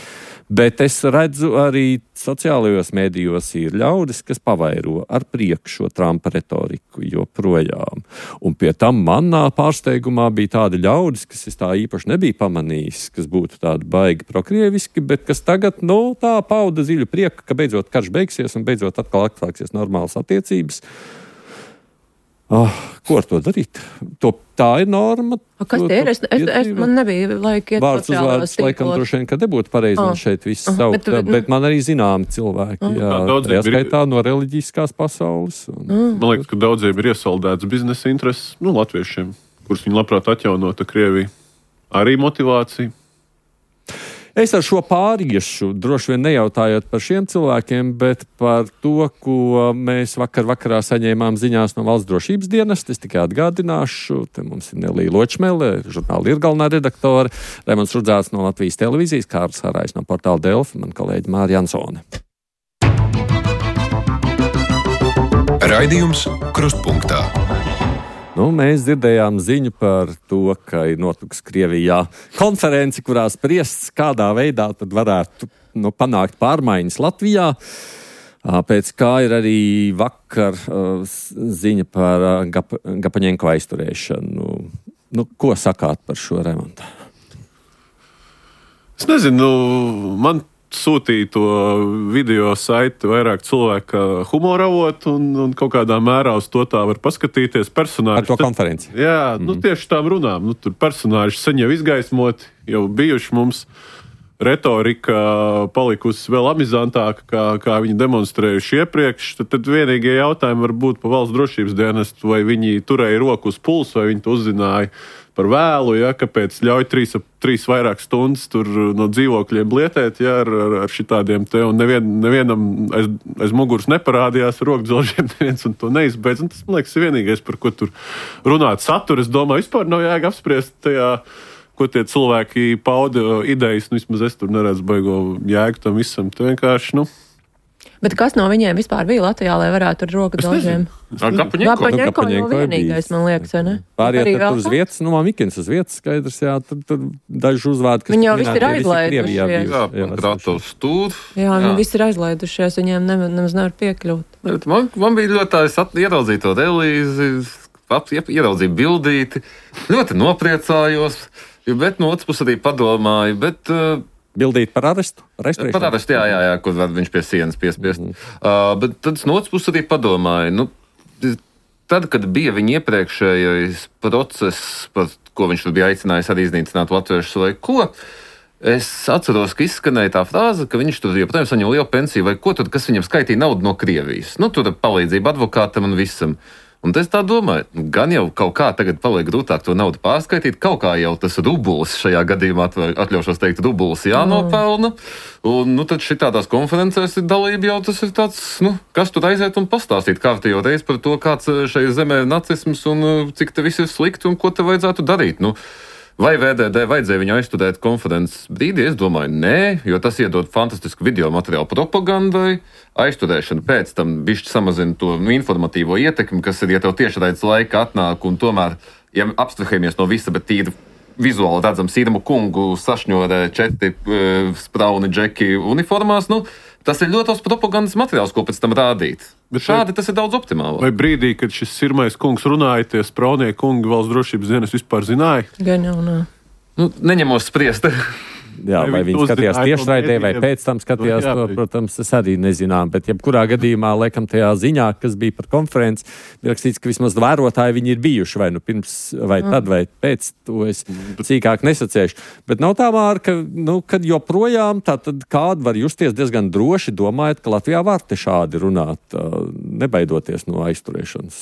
Bet es redzu arī sociālajos mēdījos ir ļaudis, kas pavairo ar prieku šo Trumpa retoriku joprojām. Un pie tam manā pārsteigumā bija tādi ļaudis, kas es tā īpaši nebija pamanījis, kas būtu tādi baigi prokrieviski, bet kas tagad, nu, tā pauda ziļu prieku, ka beidzot karš beigsies un beidzot atkal atsāksies normālas attiecības. Oh, ko ar to darīt? To, tā ir norma. A, kas tie ir? Es, es, es, man nebija laika iet vārds uzvārds, laikam droši vien, ka nebūtu pareizi man šeit viss Aha, saukt, bet, bet man arī zināmi cilvēki, Aha. jā, tajā skaitā no reliģiskās pasaules. Un, Man liekas, ka daudziem ir iesaldēts biznesa intereses, nu, latviešiem, kurus viņi labprāt atjaunota Krieviju. Arī motivācija. Es ar šo pāriešu droši vien nejautājot par šiem cilvēkiem, bet par to, ko mēs vakar vakarā saņēmām ziņās no Valsts drošības dienesta. Es tikai atgādināšu, te mums ir Nelija Ločmele, žurnāla ir galvenā redaktore, Raimonds Rudzāts no Latvijas televīzijas, Kārlis Harājs no portāla Delfi, man kolēģi Māra Jansone. Raidījums Krustpunktā. Nu, mēs dzirdējām ziņu par to, ka ir notikusi Krievijā konferenci, kurā spriests, kādā veidā tad varētu nu, panākt pārmaiņas Latvijā. Pēc kā ir arī vakar uh, ziņa par uh, Gap- Gapaņenko aizturēšanu. Nu, ko sakāt par šo remontu? Es nezinu, man sūtīja to video saiti vairāk cilvēku humora avotu un, un kaut kādā mērā uz to tā var paskatīties. Personāži. Ar to konferenci? Jā, mm-hmm. nu tieši tām runām. Nu, tur personāži sen jau izgaismoti, jau bijuši mums. Retorika palikusi vēl amizantāka, kā, kā viņi demonstrējuši iepriekš. Tad, tad vienīgie jautājumi var būt par Valsts drošības dienestu, vai viņi turēja roku uz pulsu, vai viņi to uzzināja par vēlu, ja, kāpēc ļauj trīs, trīs vairāk stundas tur no dzīvokļiem blietēt, ja, ar, ar, ar šitādiem te, un nevien, nevienam aiz, aiz muguras neparādījās rokdzelžiem, neviens un to neizbeidz. Un tas, man liekas, ir vienīgais, par ko tur runāt satura. Es domāju, vispār nav jēga apspriest tajā, ko tie cilvēki pauda idejas, nu vismaz es tur neredzu baigo jēgu tam visam. Te vienkārši, nu. Bet kas no viņiem vispār bija Latvijā, lai varētu ar roku dažiem? Gapaņenko Gapaņenko jau vienīgais, man liekas, vai ne? Pāriet tur uz vietas, nu man Mikins uz vietas skaidrs, jā, tur, tur daži uzvārdi, kas... Viņi jau visi ir aizlaidušies. Jā, Kratovs tur. Jā, viņi visi ir aizlaidušies, viņiem ne, nemaz nevar piekļūt. Man, man bija ļoti tā, es ieraudzīju to relīzi, ieraudzīju bildīti, ļoti nopriecājos, bet no otras puses arī padomāju, bet... Bildīt par arestu? Par arestu, jā, jā, jā, kur var viņš pie sienas piespiest. Mm. Uh, bet tad no otras puses arī padomāju, nu, tad, kad bija viņa iepriekšējais process, par ko viņš bija aicinājis arī iznīcināt latviešus vai ko, es atceros, ka izskanēja tā frāze, ka viņš tur joprojām saņem lielu pensiju vai ko tad, kas viņam skaitīja naudu no Krievijas. Nu, tur palīdzība advokātam un visam. Un es tā domāju, gan jau kaut kā tagad paliek grūtāk to naudu pārskaitīt, kaut kā jau tas rubulis šajā gadījumā, atļaušos teikt, rubulis jānopelna, un nu tad šitādās konferencēs ir dalība jau tas ir tāds, nu, kas tur aiziet un pastāstīt kārtējo reizi par to, kāds šai zemē ir nacisms un cik te viss ir slikti un ko te vajadzētu darīt. Nu, vai V D D vajadzēja viņu aizstudēt konferences brīdī? Es domāju, nē, jo tas iedod fantastisku video materiālu propagandai. Aizstudēšana pēc tam bišķi samazina to nu, informatīvo ietekmi, kas ir, ja tev tiešraides laika atnāk un tomēr ja abstrahējamies no visa, bet tīri vizuāli redzam Sirmu kungu sašņorē četri uh, sprauni džeki uniformās, nu, tas ir ļoti daudz propagandas materiāls, ko pēc tam rādīt. Bet šādi tas ir daudz optimālāk. Vai brīdī, kad šis Sirmais kungs runāja, tie spraunie kungi valsts drošības dienas vispār zināja? Gan jau nē. Nu, neņemos spriest. Jā, vai, vai viņi skatījās tiešraidē, vai pēc tam skatījās jā, to, protams, es arī nezinām. Bet jebkurā gadījumā, laikam, tajā ziņā, kas bija par konferenci, bija rakstīts, ka vismaz vērotāji viņi ir bijuši, vai nu pirms, vai tad, vai pēc, to es cīkāk nesacēšu. Bet nav tā, Māra, ka, nu, kad joprojām tā tad kādu var justies diezgan droši, domājot, ka Latvijā var te šādi runāt, nebaidoties no aizturēšanas.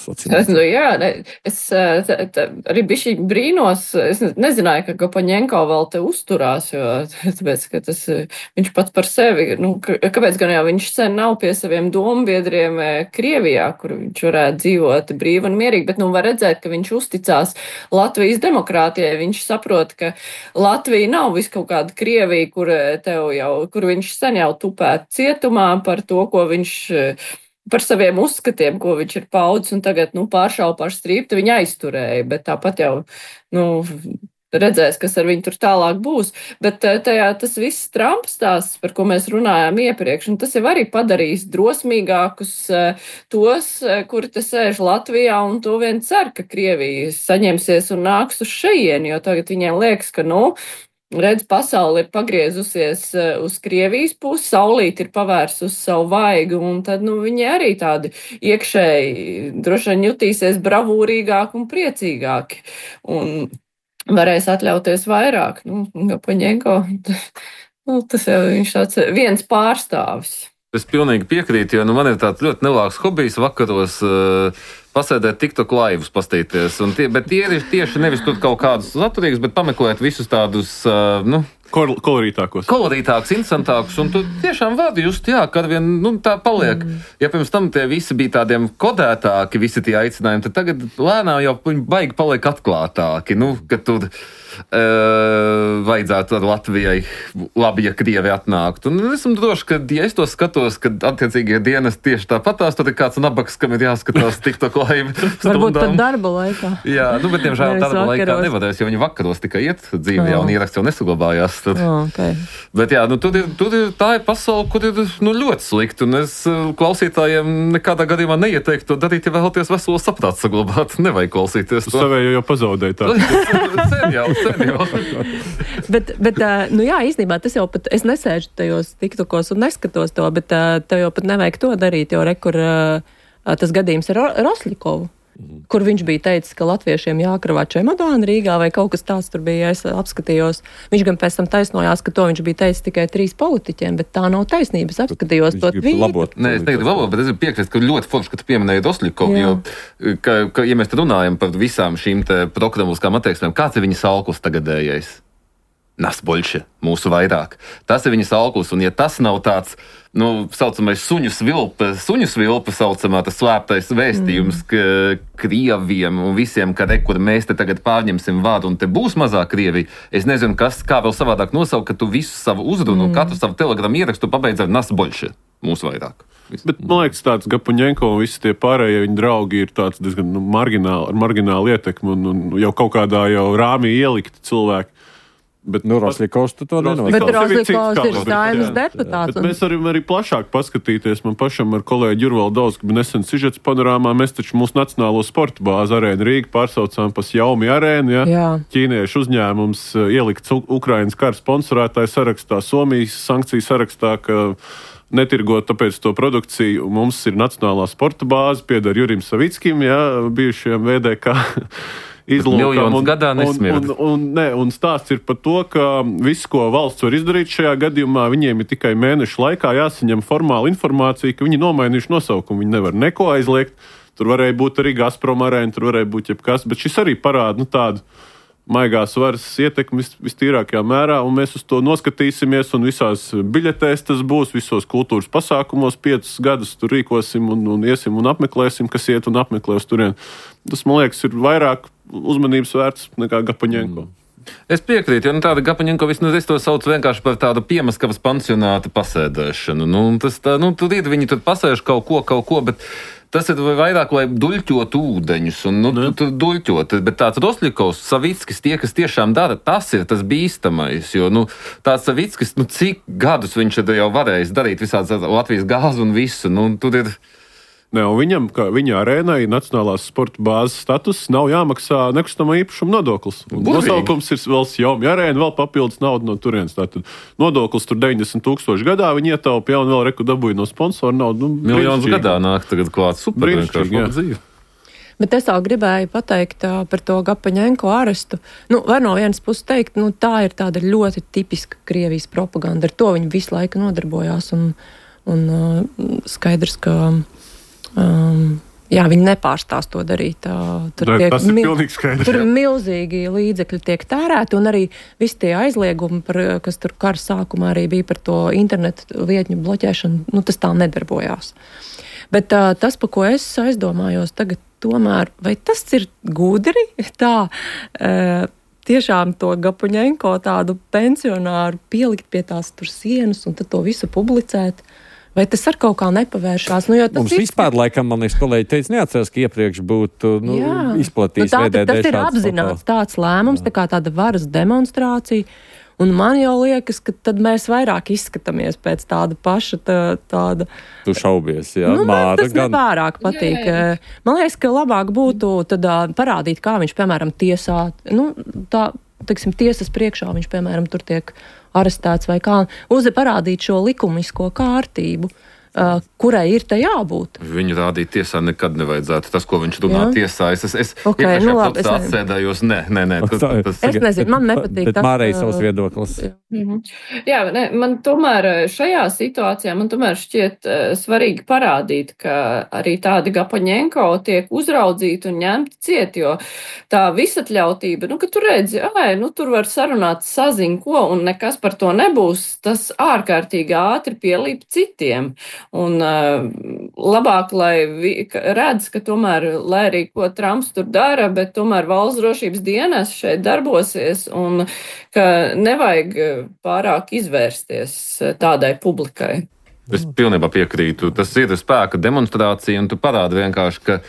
Nu, jā, ne, es tā, tā, arī bišķi brīnos, es nezināju, ka Gapaņenko vēl te uzturās, jo tāpēc, ka tas, viņš pats par sevi, nu, kāpēc gan jau viņš sen nav pie saviem dombiedriem Krievijā, kur viņš varētu dzīvot brīvi un mierīgi, bet, nu, var redzēt, ka viņš uzticās Latvijas demokrātijai, viņš saprot, ka Latvija nav vis kaut kāda Krievija, kur tev jau, kur viņš sen jau tupēt cietumā par to, ko viņš par saviem uzskatiem, ko viņš ir paudzis, un tagad, nu, pāršau par strīptu viņa aizturēja, bet tāpat jau, nu, redzēs, kas ar viņu tur tālāk būs. Bet tajā tas viss Trumps stāsts, par ko mēs runājām iepriekš, un tas jau arī padarīs drosmīgākus tos, kuri te sēž Latvijā, un to vien cer, ka Krievija saņemsies un nāks uz šejieni, jo tagad viņiem liekas, ka, nu, redz, pasauli ir pagriezusies uz Krievijas pusi, saulīt ir pavērs uz savu vaigu, un tad, nu, viņi arī tādi iekšēji droši vien jutīsies bravūrīgāki un priecīgāki. Un varēs atļauties vairāk. Nu, Gapaņenko, nu, tas jau viņš tāds viens pārstāvis. Es pilnīgi piekrītu, jo nu, man ir tāds ļoti nelāks hobijs vakaros uh, pasēdēt TikTok laivus, pastīties. Un tie, bet tie ir tieši nevis tur kaut kādus saturīgus, bet pameklēt visus tādus, uh, nu, Kol kolorītākos. Kolorītāks, interesantāks, un tu tiešām vari just, jā, kad vien, nu, tā paliek. Mm. Ja pirms tam tie visi bija tādiem kodētāki, visi tie aicinājumi, tad tagad lēnām jau viņi baigi paliek atklātāki, nu, ka tur e, vajadzētu ar Latvijai labi, ja Krievi atnākt. Un esmu droši, ka, ja es to skatos, kad attiecīgie dienas tieši tāpatās, tad ir kāds nabaks, kam ir jāskatās TikTok laivi stundām. Varbūt pat darba laikā. Jā, nu, bet, diemžēl, darba vakaros. laikā nevarēs, jo viņi vakaros tikai iet dzīvē, un ieraksts jau nesaglabājās. Tad. Oh, okay. Bet jā, nu, tur ir, tur ir tā ir pasaule, kur ir nu, ļoti slikti. Un es klausītājiem nekādā gadījumā neieteiktu to darīt, ja vēlaties veselo saprātu saglabāt. Nevajag klausīties to. Tu savēju jau pazaudēji tā. sen jau, sen jau. bet, bet, nu jā, īstenībā tas jau pat, es nesēžu tajos TikTokos un neskatos to, bet tev jau pat nevajag to darīt, jo rekur tas gadījums ar Roslikovu. Kur viņš bija teicis, ka latviešiem jākravā čemodāni Rīgā vai kaut kas tāds tur bija, ja es apskatījos. Viņš gan pēc tam taisnojās, ka to viņš bija teicis tikai trīs politiķiem, bet tā nav taisnība. Es apskatījos to tvītu. Nē, es negribu labot, bet es gribu piekrist, ka ļoti forši, ka tu pieminēji Roslikovu, jo, ka, ka, ja mēs runājam par visām šīm te prokramulskām attieksmēm, kāds ir viņa salkus tagadējais? Nasboļše, mūsu vairāk. Tas ir viņa salkus, un ja tas nav tāds, nu, saucamais suņu svilpe, suņu svilpe saucamā, tas slēptais vēstījums, mm. ka Krieviem un visiem, ka re, kur mēs te tagad pārņemsim vārdu un te būs mazāk Krievija, es nezinu, kas, kā vēl savādāk nosaukt, ka tu visu savu uzrunu, mm. katru savu telegramu ierakstu pabeidz ar Nasboļše, mūsu vairāk. Visu. Bet, man liekas, tāds Gapaņenko un visi tie pārējie viņa draugi ir tāds diezgan nu, margināli, ar marginālu ietekmi un, un jau kaut kādā jau rāmī ielikti cilvēki. Bet, nu, Roslikovs tu to nenoliek. Bet Roslikovs ir Saeimas deputāts. Bet mēs varam arī plašāk paskatīties. Man pašam ar kolēģi Jurvalu Dausku bija nesen sižets panorāmā. Mēs taču mūsu nacionālo sporta bāzi Arēnu Rīgu pārsaucām pa Jaumi arēnu. Ja? Jā. Ķīniešu uzņēmums ielikts Ukrainas kara sponsorētāju sarakstā, Somijas sankciju sarakstā, ka netirgot tāpēc to produkciju. Mums ir nacionālā sporta bāze, pieder Jurim Savickim, ja, bijušajam V D K izlūkam. Un, gadā un, un, un, ne, un stāsts ir par to, ka viss, ko valsts var izdarīt šajā gadījumā, viņiem ir tikai mēnešu laikā jāsaņem formāla informācija, ka viņi nomainījuši nosaukumu. Viņi nevar neko aizliegt. Tur varēja būt arī Gazprom arēna, tur varēja būt jebkas, bet šis arī parāda nu, tādu maigās varas ietekmi vis, vistīrākajā mērā, un mēs uz to noskatīsimies, un visās biļetēs tas būs, visos kultūras pasākumos piecus gadus tur rīkosim un, un iesim un apmeklēsim, kas iet un apmeklē uz turien. Tas, man liekas, ir vairāk uzmanības vērts nekā Gapaņenko. Mm. Es piekrītu, jo nu, tāda Gapaņenko, nu, es to saucu vienkārši par tādu Piemaskavas pansionāta pasēdēšanu. Nu, tas tā, nu, tur ir, viņi tur pasēž kaut ko, kaut ko, bet tas ir vairāk, lai duļķot ūdeņus, un, nu, tu, tu duļķot, bet tāds Rosļikovs, Savickis, tie, kas tiešām dara, tas ir tas bīstamais, jo, nu, tāds Savickis, nu, cik gadus viņš jau varējis darīt visāds Latvijas gāzu un visu, nu, tur ir... Ne, viņam, kā viņa arēnai, Nacionālās sporta bāzes status, nav jāmaksā nekustamā īpašuma nodoklis. Nosaukums ir vēl Sjaume arēna, vēl papildus naudu no turienes. Tātad nodoklis tur deviņdesmit tūkstoši gadā, viņi ietaupīja un vēl reku dabūja no sponsora naudu. Nu, Miljonus gadā nāk tagad klāt super vienkārši dzīve. Bet es vēl gribēju pateikt uh, par to Gapaņenko arestu. Nu, var no vienas puses teikt, nu, tā ir tāda ļoti tipiska Krievijas propaganda. Ar to viņi visu laiku nodarbojās un, un uh, skaidrs, ka Um, jā, viņi nepārstās to darīt. Uh, tur, da, tiek, tas ir mil, pilnīgi skaidrs. tur jā. milzīgi līdzekļi tiek tērēti, un arī visi tie aizliegumi, par, kas tur kara sākumā arī bija par to internetu vietņu bloķēšanu, nu, tas tā nedarbojās. Bet uh, tas, pa ko es aizdomājos tagad, tomēr, vai tas ir gudri tā, uh, tiešām to Gapaņenko tādu pensionāru pielikt pie tās tur sienas un tad to visu publicēt? Vai tas ar kaut kā nepavēršās? Nu, Mums ir... vispār, laikam, man liekas, kolēģi teica, neatceras, ka iepriekš būtu nu, izplatījis nu, V D D tas ir apzināts tāds lēmums, tā kā tāda varas demonstrācija. Un man jau liekas, ka tad mēs vairāk izskatāmies pēc tāda paša tā, tāda... Tu šaubies, jā. Nu, man Māra tas gan... nepārāk patīk. Jā, jā. Man liekas, ka labāk būtu tad parādīt, kā viņš, piemēram, tiesā, nu, tā, teiksim, tiesas priekšā viņš, piemēram, tur tiek arestēts vai kā, uz parādīt šo likumisko kārtību, uh, kurai ir te jābūt. Viņu rādīt tiesā nekad nevajadzētu. Tas, ko viņš runā jā. tiesā, es, es, es okay, nu, labi, es atsēdājos, nē, nē, nē. Tas, tas, es nezinu, man nepatīk bet tas. Mārai savs viedoklis. Mm-hmm. Jā, ne, man tomēr šajā situācijā, man tomēr šķiet uh, svarīgi parādīt, ka arī tādi Gapaņenko tiek uzraudzīti un ņemti ciet, jo tā visatļautība, nu, ka tu redzi, ai, nu, tur var sarunāt saziņu ko, un nekas par to nebūs, tas ārkārtīgi ātri pielīp citiem. Un uh, labāk, lai vi, ka, redz, ka tomēr, lai arī ko Trumps tur dara, bet tomēr valsts drošības dienas šeit darbosies, un ka nevajag pārāk izvērsties tādai publikai. Es pilnībā piekrītu. Tas ir spēka demonstrācija, un tu parādi vienkārši, ka,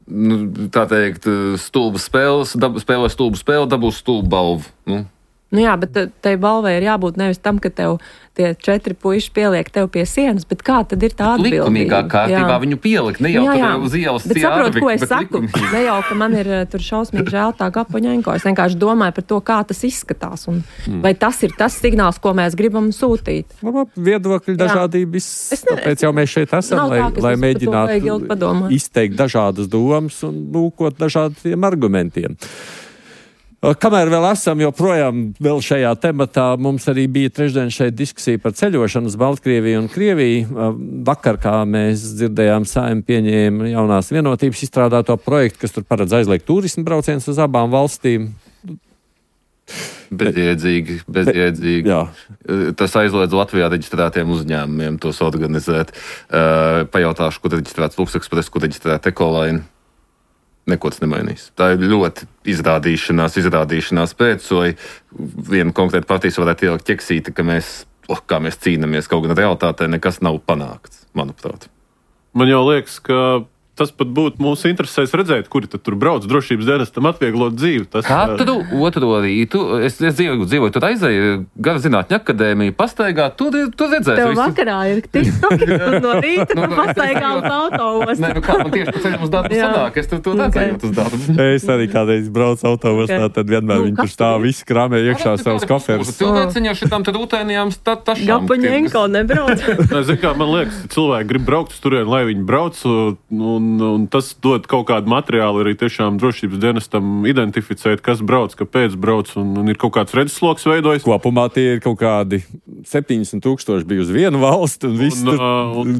nu, tā teikt, stulba spēles, dab, spēlē stulbu spēli, dabūs stulbu balvu. Nu. Nu jā, bet tai balvai ir jābūt nevis tam, ka tev tie četri puiši pieliek tev pie sienas, bet kā tad ir tā atbildība? Likumīgā kārtībā jā. viņu pielikt, ne jau jā, jā. tur uz ielas bet saprot, ko es saku? Likumīgi. Ne jau, ka man ir tur šausmīgi žēl tā Gapaņenko. Es vienkārši domāju par to, kā tas izskatās. Un mm. vai tas ir tas signāls, ko mēs gribam sūtīt? Labā, viedokļu dažādības. Tāpēc jau mēs šeit esam, lai, tā, lai mēģinātu izteikt dažādas domas un lūkot dažādiem argumentiem. Kamēr vēl esam joprojām vēl šajā tematā, mums arī bija trešdien šeit diskusija par ceļošanu uz Baltkrieviju un Krieviju. Vakar, kā mēs dzirdējām, Saeima pieņēma jaunās vienotības izstrādāto projektu, kas tur paredz aizliegt turismu braucienus uz abām valstīm. Bezjēdzīgi, bezjēdzīgi. Jā. Tas aizliedz Latvijā reģistrētiem uzņēmumiem tos organizēt. Pajautāšu, kur reģistrēts Luksekspress, kur reģistrēta Ekolaina. Neko tas nemainīs. Tā ir ļoti izrādīšanās, izrādīšanās pēc, vai viena konkrēta partijas varētu ielikt ķeksīti, ka mēs, oh, kā mēs cīnamies, kaut gan realitātē nekas nav panākts, manuprāt. Man jau liekas, ka tas pat būtu mūsu interesēs redzēt, kuri tad tur brauc drošības dienestam atvieglot dzīvi. Tas, Katru otro rītu, es, es dzīvoju, dzīvoju tur aizēju, Gara zinātņu akadēmiju, pastaigā, tur, tur redzēs. Tev visu. Vakarā ir tiktoki, no rīta nu, pastaigā uz autoostu. Nē, nu kā man tieši pa ceļam uz darbu sanāk, es tur to redzēju okay. uz darbu. Es arī kādreiz braucu autoostā, okay. tad vienmēr nu, viņi tur stāv visi krāmē iekšā savus koferus. Cilvēciņi jau šitām tad rūtēnijām tašām. Gapaņenko nebrauc. Zin kā, man liekas, cilvēki grib braukt uz turien, lai viņi brauc, un Un, un tas dod kaut kādu materiālu arī tiešām drošības dienestam identificēt, kas brauc, kāpēc brauc, un, un ir kaut kāds redzesloks veidojas. Kopumā tie ir kaut kādi septiņdesmit tūkstoši bija uz vienu valstu, un viss tur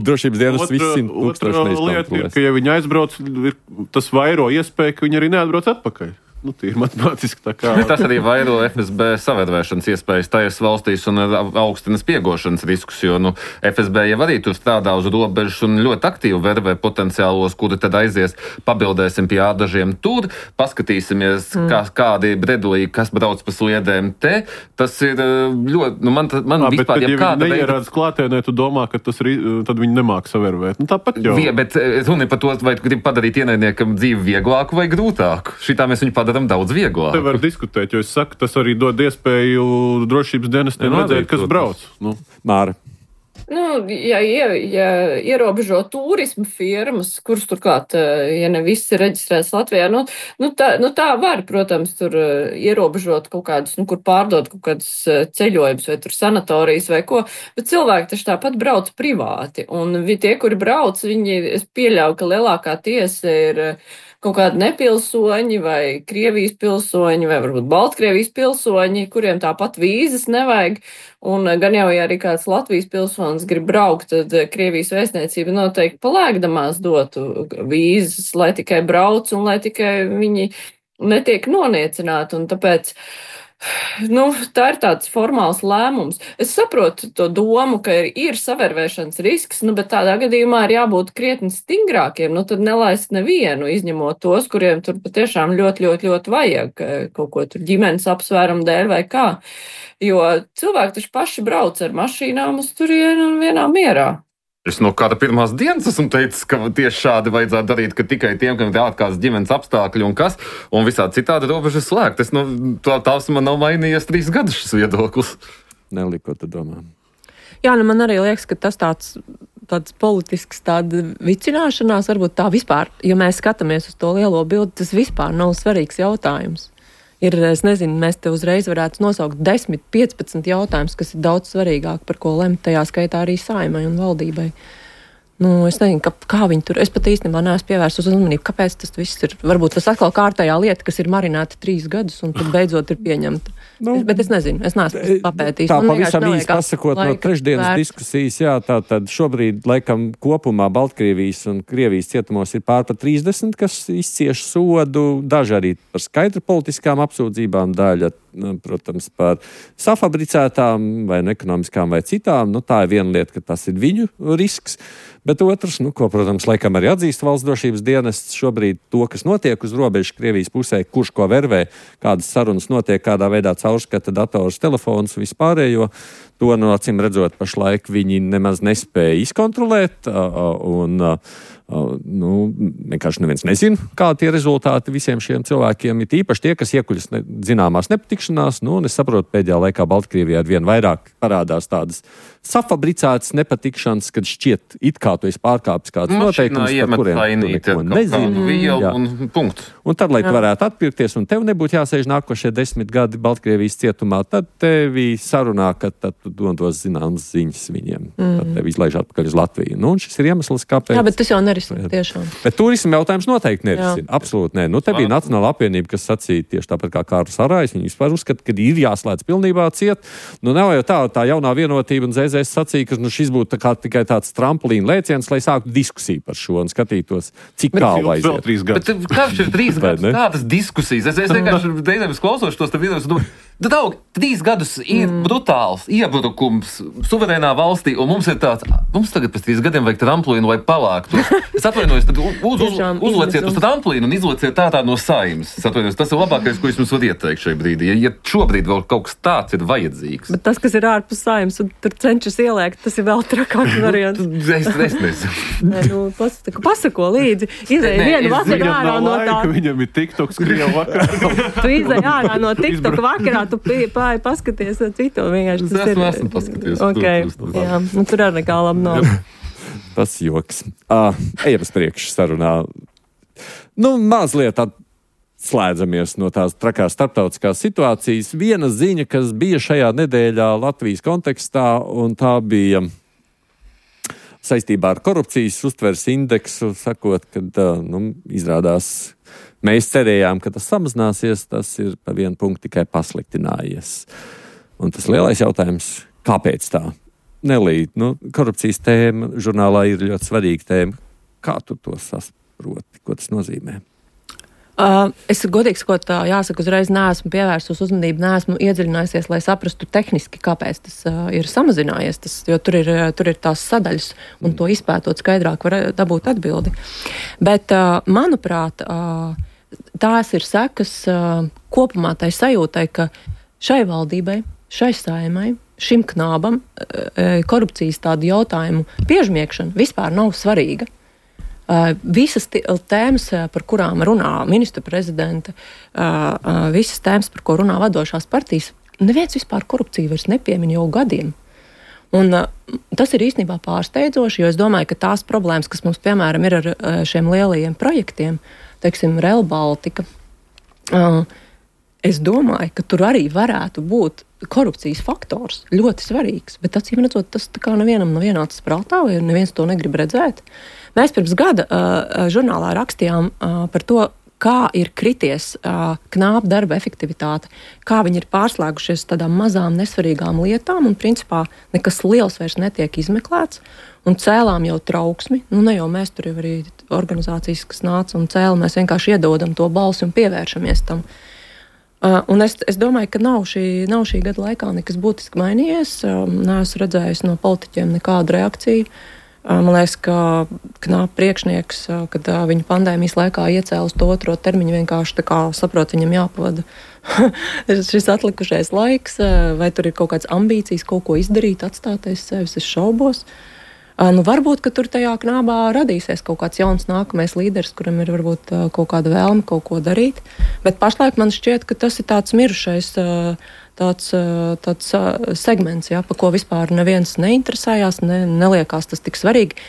drošības dienas viss simt tūkstoši neizkontrolēs. Lieta ir, ka ja viņi aizbrauc, ir, tas vairo iespēja, ka viņi arī neatbrauc atpakaļ. nu, tīri matemātiski tā kā. Tas arī vairo F S B savērvēšanas iespējas tajās valstīs un augstinas piegošanas riskus, jo nu, F S B jau arī tur strādā uz robežas un ļoti aktīvi vervē potenciālos, kuri tad aizies, pabildēsim pie ādažiem tur, paskatīsimies, mm. kā, kādi bredulī, kas brauc pa sliedēm te. Tas ir ļoti, nu man, man à, vispār, bet, ja kāda veida... neierādas klātienē, tu domā, ka tas ir, tad viņi nemāk savērvēt. Nu, tāpat jau. Vie, bet runa par to, vai tu gribi padarīt ienaidniekam dzīvi vieglāku vai grūtāku. Šitā mēs viņu padaram daudz vieglāk. Te var diskutēt, jo es saku, tas arī dod iespēju drošības dienestiem redzēt, kas brauc. Nu. Māra. Nu, ja, ja, ja ierobežo turismu firmas, kuras turklāt, ja ne viss ir reģistrēts Latvijā, nu, nu, tā, nu tā var, protams, tur ierobežot kaut kādus, nu, kur pārdot kaut kādus ceļojumus vai tur sanatorijas vai ko, bet cilvēki taču tāpat brauc privāti. Un tie, kuri brauc, viņi, es pieļauju, ka lielākā tiesa ir kaut kādi nepilsoņi vai Krievijas pilsoņi vai varbūt Baltkrievijas pilsoņi, kuriem tāpat vīzas nevajag. Un gan jau, ja arī kāds Latvijas pilsonis grib braukt, tad Krievijas vēstniecība noteikti palēkdamās dotu vīzas, lai tikai brauc un lai tikai viņi netiek noniecināti. Un tāpēc, nu, tā ir tāds formāls lēmums. Es saprotu to domu, ka ir, ir savērvēšanas risks, nu, bet tādā gadījumā ir jābūt krietni stingrākiem. Nu, tad nelaist nevienu, izņemot tos, kuriem tur patiešām ļoti, ļoti, ļoti vajag kaut ko tur ģimenes apsvērumu dēļ vai kā. Jo cilvēki taču paši brauc ar mašīnām uz turienu un vienā mierā. Es no kāda pirmās dienas esmu teicis, ka tieši šādi vajadzētu darīt, ka tikai tiem, kam ir ārkārtas ģimenes apstākļi un kas, un visādi citādi robežas slēgt. Es, nu, tā, tās man nav mainījies trīs gadus šis viedoklis. Nelī, ko tu domā? Jā, nu man arī liekas, ka tas tāds, tāds politisks tāda vicināšanās, varbūt tā vispār, ja mēs skatāmies uz to lielo bildi, tas vispār nav svarīgs jautājums. Ir, es nezinu, mēs te uzreiz varētu nosaukt desmit, piecpadsmit jautājumus, kas ir daudz svarīgāk, par ko lemt, tajā skaitā arī Saeimai un valdībai. Nu, es nezinu, ka, kā viņi tur, es pat īstenībā neesmu pievērsus uzmanību, kāpēc tas viss ir, varbūt tas atkal kārtējā lieta, kas ir marināta trīs gadus un tad beidzot ir pieņemta. Nu, es, bet es nezinu, es neesmu papētījis. Tā pavisam īsti pasakot no trešdienas vērts. Diskusijas, jā, tā tad šobrīd, laikam, kopumā Baltkrievijas un Krievijas cietumos ir pār par trīsdesmit, kas izcieš sodu, daži arī par skaidru politiskām apsūdzībām, daļa, protams, par safabricētām vai ekonomiskām vai citām. Nu, tā ir viena lieta, ka tas ir viņu risks. Bet otrs, nu, ko, protams, laikam arī atzīst valsts drošības dienests, šobrīd to, kas notiek uz robežas Krievijas pusē, kurš ko vervē, kādas sarunas notiek, kādā veidā caurskata dators, telefons, vispārējo, to, no acīm redzot, pašlaik viņi nemaz nespēja izkontrolēt, un, nu, vienkārši neviens nezina, kādi tie rezultāti visiem šiem cilvēkiem ir īpaši tie, kas iekuļas ne, zināmās nepatikšanās, nu, un es saprotu, pēdējā laikā Baltkrievijā vien vairāk parādās tādas safabricētas nepatikšanas, kad šķiet it kā tu esi pārkāpis kāds noteikums, par kuriem tu neko nezini. Un, punktu. Un tad, lai tu varētu atpirkties, un tev nebūtu jāsēž nākošie desmit gadi Baltkrievijas cietumā, tad tevi sarunā, ka tad tu dodos zināmas ziņas viņiem. Mm. Tad tevi izlaiž atpakaļ uz Latviju. Nu, un šis ir iemesls, kāpēc. Jā, bet tas jau nerisina tiešām. Bet turisma jautājums noteikti nerisina. Absolūti nē. Nu, te bija Nacionāla apvienība, kas sacīja tieši tāpat kā Kārlis Arājs. Viņi vispār uzskata, ka ir jāslēdz pilnībā ciet. Nu, nav jau tā, tā jaunā vienotība un Z Z S sacīja, ka nu, šis būtu tā kā, tikai tāds trampolīna lēciens, lai sāktu diskusiju par šo un skatītos, cik tālu aiziet. Bet kāds ir trīs gadus? Kādas diskusijas? Es, es vienkārši deidēvis klausos tos te vienos un domāju, Daug, trīs gadus ir mm. brutāls iebrukums suverēnā valstī, un mums ir tāds, mums tagad pēc trīs gadiem vajag tramplīnu vai palāktu. Es atvainojos, tad uz, uz, uzleciet uz tramplīnu un izleciet tā tā no Saeimas. Es atvainojos, tas ir labākais, ko es jums varu ieteikt šajā brīdī. Ja, ja šobrīd vēl kaut kas tāds ir vajadzīgs. Bet tas, kas ir ārpus Saeimas un tur cenšas ieliekt, tas ir vēl trakāks variants. es, es nezinu. Nē, nu, pasako, pasako līdzi. Izēj vienu vakaru ārā no tā. Viņam ir TikToks Krievu vakarā. Tu izēj ārā no TikTok vakarā. Tu pāri paskaties citu, vienkārši tas es ir. Es esmu paskaties. Okay. Tur, tur, tur. Jā, nu tur arī nekā labi nav. Tas joks. Uh, ejam uz priekšu sarunā. Nu, mazliet slēdzamies no tās trakās starptautiskās situācijas. Viena ziņa, kas bija šajā nedēļā Latvijas kontekstā, un tā bija saistībā ar korupcijas uztveres indeksu, sakot, ka nu, izrādās mēs cerējām, ka tas samazināsies, tas ir pa vienu punktu tikai pasliktinājies. Un tas lielais jautājums, kāpēc tā? Nelī, nu, korupcijas tēma žurnālā ir ļoti svarīga tēma. Kā tu to saproti? Ko tas nozīmē? Uh, es godīgi sakot, jāsaka, uzreiz neesmu pievērsus uzmanību, neesmu iedziļinājusies, lai saprastu tehniski, kāpēc tas uh, ir samazinājies, tas, jo tur ir, tur ir tās sadaļas, un to izpētot skaidrāk var dabūt atbildi. Bet, uh, manuprāt, uh, tās ir sekas uh, kopumā tai sajūtai, ka šai valdībai, šai saimai, šim knābam uh, korupcijas tādu jautājumu piežmiekšana vispār nav svarīga. Uh, visas tēmas, par kurām runā ministra prezidenta, uh, uh, visas tēmas, par ko runā vadošās partijas, neviens vispār korupciju vairs nepiemin jau gadiem. Un, uh, tas ir īstenībā pārsteidzoši, jo es domāju, ka tās problēmas, kas mums, piemēram, ir ar uh, šiem lielajiem projektiem, teiksim, Rail Baltica, uh, es domāju, ka tur arī varētu būt korupcijas faktors ļoti svarīgs, bet acīm redzot, tas tā kā nevienam nav ienācis prātā, vai neviens to negrib redzēt. Mēs pirms gada uh, žurnālā rakstījām uh, par to, kā ir krities uh, knāba darba efektivitāte, kā viņi ir pārslēgušies tādām mazām nesvarīgām lietām, un principā nekas liels vairs netiek izmeklēts, un cēlām jau trauksmi, nu ne jau mēs tur jau arī organizācijas, kas nāca un cēla, mēs vienkārši iedodam to balsi un pievēršamies tam. Uh, un es, es domāju, ka nav šī, nav šī gada laikā nekas būtiski mainījies, um, neesmu redzējis no politiķiem nekādu reakciju. Man liekas, ka knāba priekšnieks, kad viņa pandēmijas laikā iecēla uz to otro termiņu, vienkārši tā kā saprot, viņam jāpavada šis atlikušais laiks, vai tur ir kaut kādas ambīcijas, kaut ko izdarīt, atstāties sevis, es šaubos. Nu, varbūt, ka tur tajā knābā radīsies kaut kāds jauns nākamais līderis, kuram ir varbūt kaut kāda vēlme kaut ko darīt, bet pašlaik man šķiet, ka tas ir tāds mirušais tāds, tāds segments, ja, pa ko vispār neviens neinteresējās, ne, neliekās tas tik svarīgi.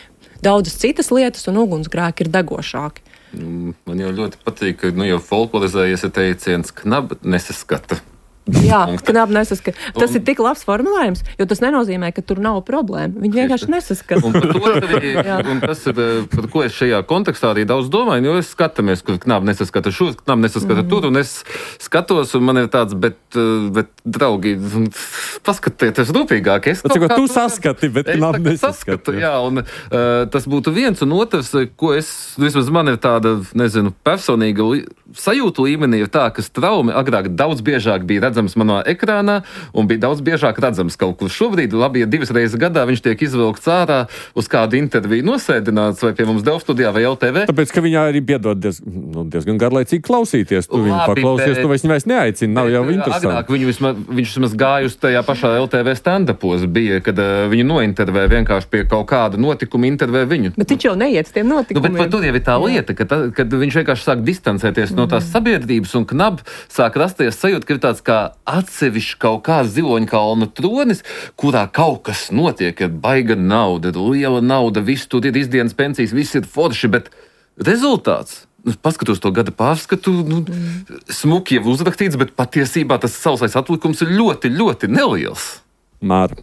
Daudzas citas lietas un ugunsgrēki ir degošāki. Man jau ļoti patīk, ka nu, jau folklorizējies ir teiciens, knaba nesaskata. Jā, knāba nesaskata. Tas un, ir tik labs formulējums, jo tas nenozīmē, ka tur nav problēma. Viņi vienkārši nesaskata. Un par to arī, un tas ir, par ko es šajā kontekstā arī daudz domāju, jo es skatāmies, kur knāba nesaskata šur, knāba nesaskata mm. tur, un es skatos, un man ir tāds, bet, bet draugi, paskatieties rūpīgāk. Es kaut kā... Tu to, saskati, bet knāba nesaskata. Jā, un uh, tas būtu viens, un otrs, ko es, vismaz man ir tāda, nezinu, personīga li, sajūta līmenī ir tā, ka straumi agrāk daudz biežāk bija redzams manā ekrānā un bija daudz biežāk redzams kaut kur šobrīd. Labi, ja divas reizes gadā viņš tiek izvilkts ārā uz kādu interviju nosēdināts vai pie mums Delfu studijā vai L T V. Tāpēc, ka viņā arī piedod diez, nu, diezgan garlaicīgi klausīties. Tu viņu paklausies, tu vairs vairs neaicini, nav jau interesanti. Agrāk viņu vismaz, viņš vismaz gāja uz tajā pašā L T V stand-upos bija, kad uh, viņu nointervē vienkārši pie kaut kāda notikuma intervē viņu. Bet viņš jau neiet uz tiem notikumiem. Nu, bet tur jau ir tā lieta, ka ta, kad viņš vienkārši sāk distancēties mm. no tās sabiedrības un knab sāk rasties sajūta, ka ir tāds kā atsevišķi kaut kāds ziloņkalna tronis, kurā kaut kas notiek, ir baiga nauda, liela nauda, viss tur ir izdienas pensijas, viss ir forši, bet rezultāts, nu, paskatos to gada pārskatu, nu, smuki jau uzrakstīts, bet patiesībā tas sausais atlikums ir ļoti, ļoti neliels. Māra.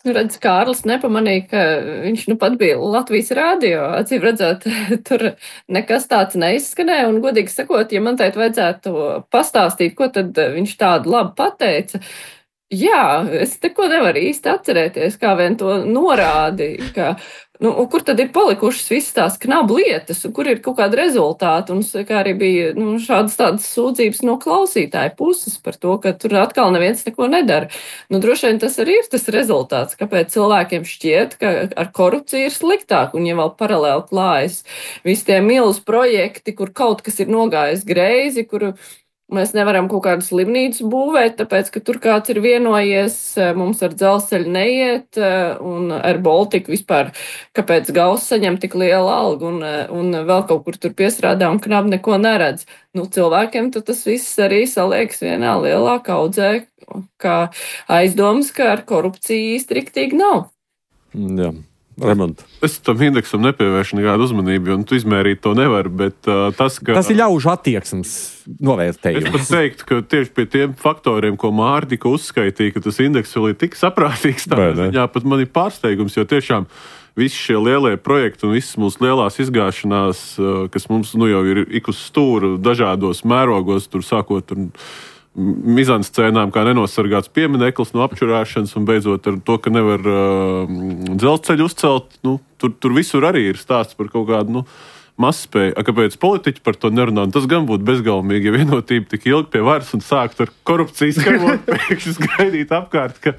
Nu, redz, Kārlis nepamanīja, ka viņš nu pat bija Latvijas rādio. Acīm redzot, tur nekas tāds neizskanēja. Un, godīgi sakot, ja man teikt vajadzētu pastāstīt, ko tad viņš tādu labu pateica, jā, es neko nevaru īsti atcerēties, kā vien to norādi, ka, nu, kur tad ir palikušas visas tās knabu lietas, un kur ir kaut kāda rezultāta. Un kā arī bija nu, šādas tādas sūdzības no klausītāju puses par to, ka tur atkal neviens neko nedara. Nu, droši vien tas arī ir tas rezultāts, kāpēc cilvēkiem šķiet, ka ar korupciju ir sliktāk, un ja vēl paralēli klājas visi tie milz projekti, kur kaut kas ir nogājis greizi, kur mēs nevaram kaut kādu slimnīcu būvēt, tāpēc, ka tur kāds ir vienojies, mums ar dzelzceļu neiet, un ar Baltiku vispār, kāpēc Gauss saņem tik lielu algu, un, un vēl kaut kur tur piesrādā un knab neko neredz. Nu, cilvēkiem tas viss arī saliekas vienā lielā kaudzē, kā aizdomas, ka ar korupciju īsti riktīgi nav. Jā. Remont. Es tam indeksam nepievēršu nekādu uzmanību, un tu izmērīt to nevar, bet uh, tas, ka... Tas ir ļaužu attieksmes novērtējums. Es pat teiktu, ka tieši pie tiem faktoriem, ko Māra tikko uzskaitīja, ka tas indeks vēl ir tik saprātīgs, tādā ziņā pat man ir pārsteigums, jo tiešām visi šie lielie projekti un visas mūsu lielās izgāšanās, uh, kas mums nu jau ir ik uz stūra dažādos mērogos, tur sākot un mizanscēnām, kā nenosargāts piemineklis no apčurāšanas un beidzot ar to, ka nevar uh, dzelzceļu uzcelt. Nu, tur, tur visur arī ir stāsts par kaut kādu nu, mazspēja, kāpēc politiķi par to nerunā. Tas gan būtu bezgalīgi, ja vienotība tik ilgi pie varas un sākt ar korupcijas karot, pēkšņi gaidīt apkārt, ka,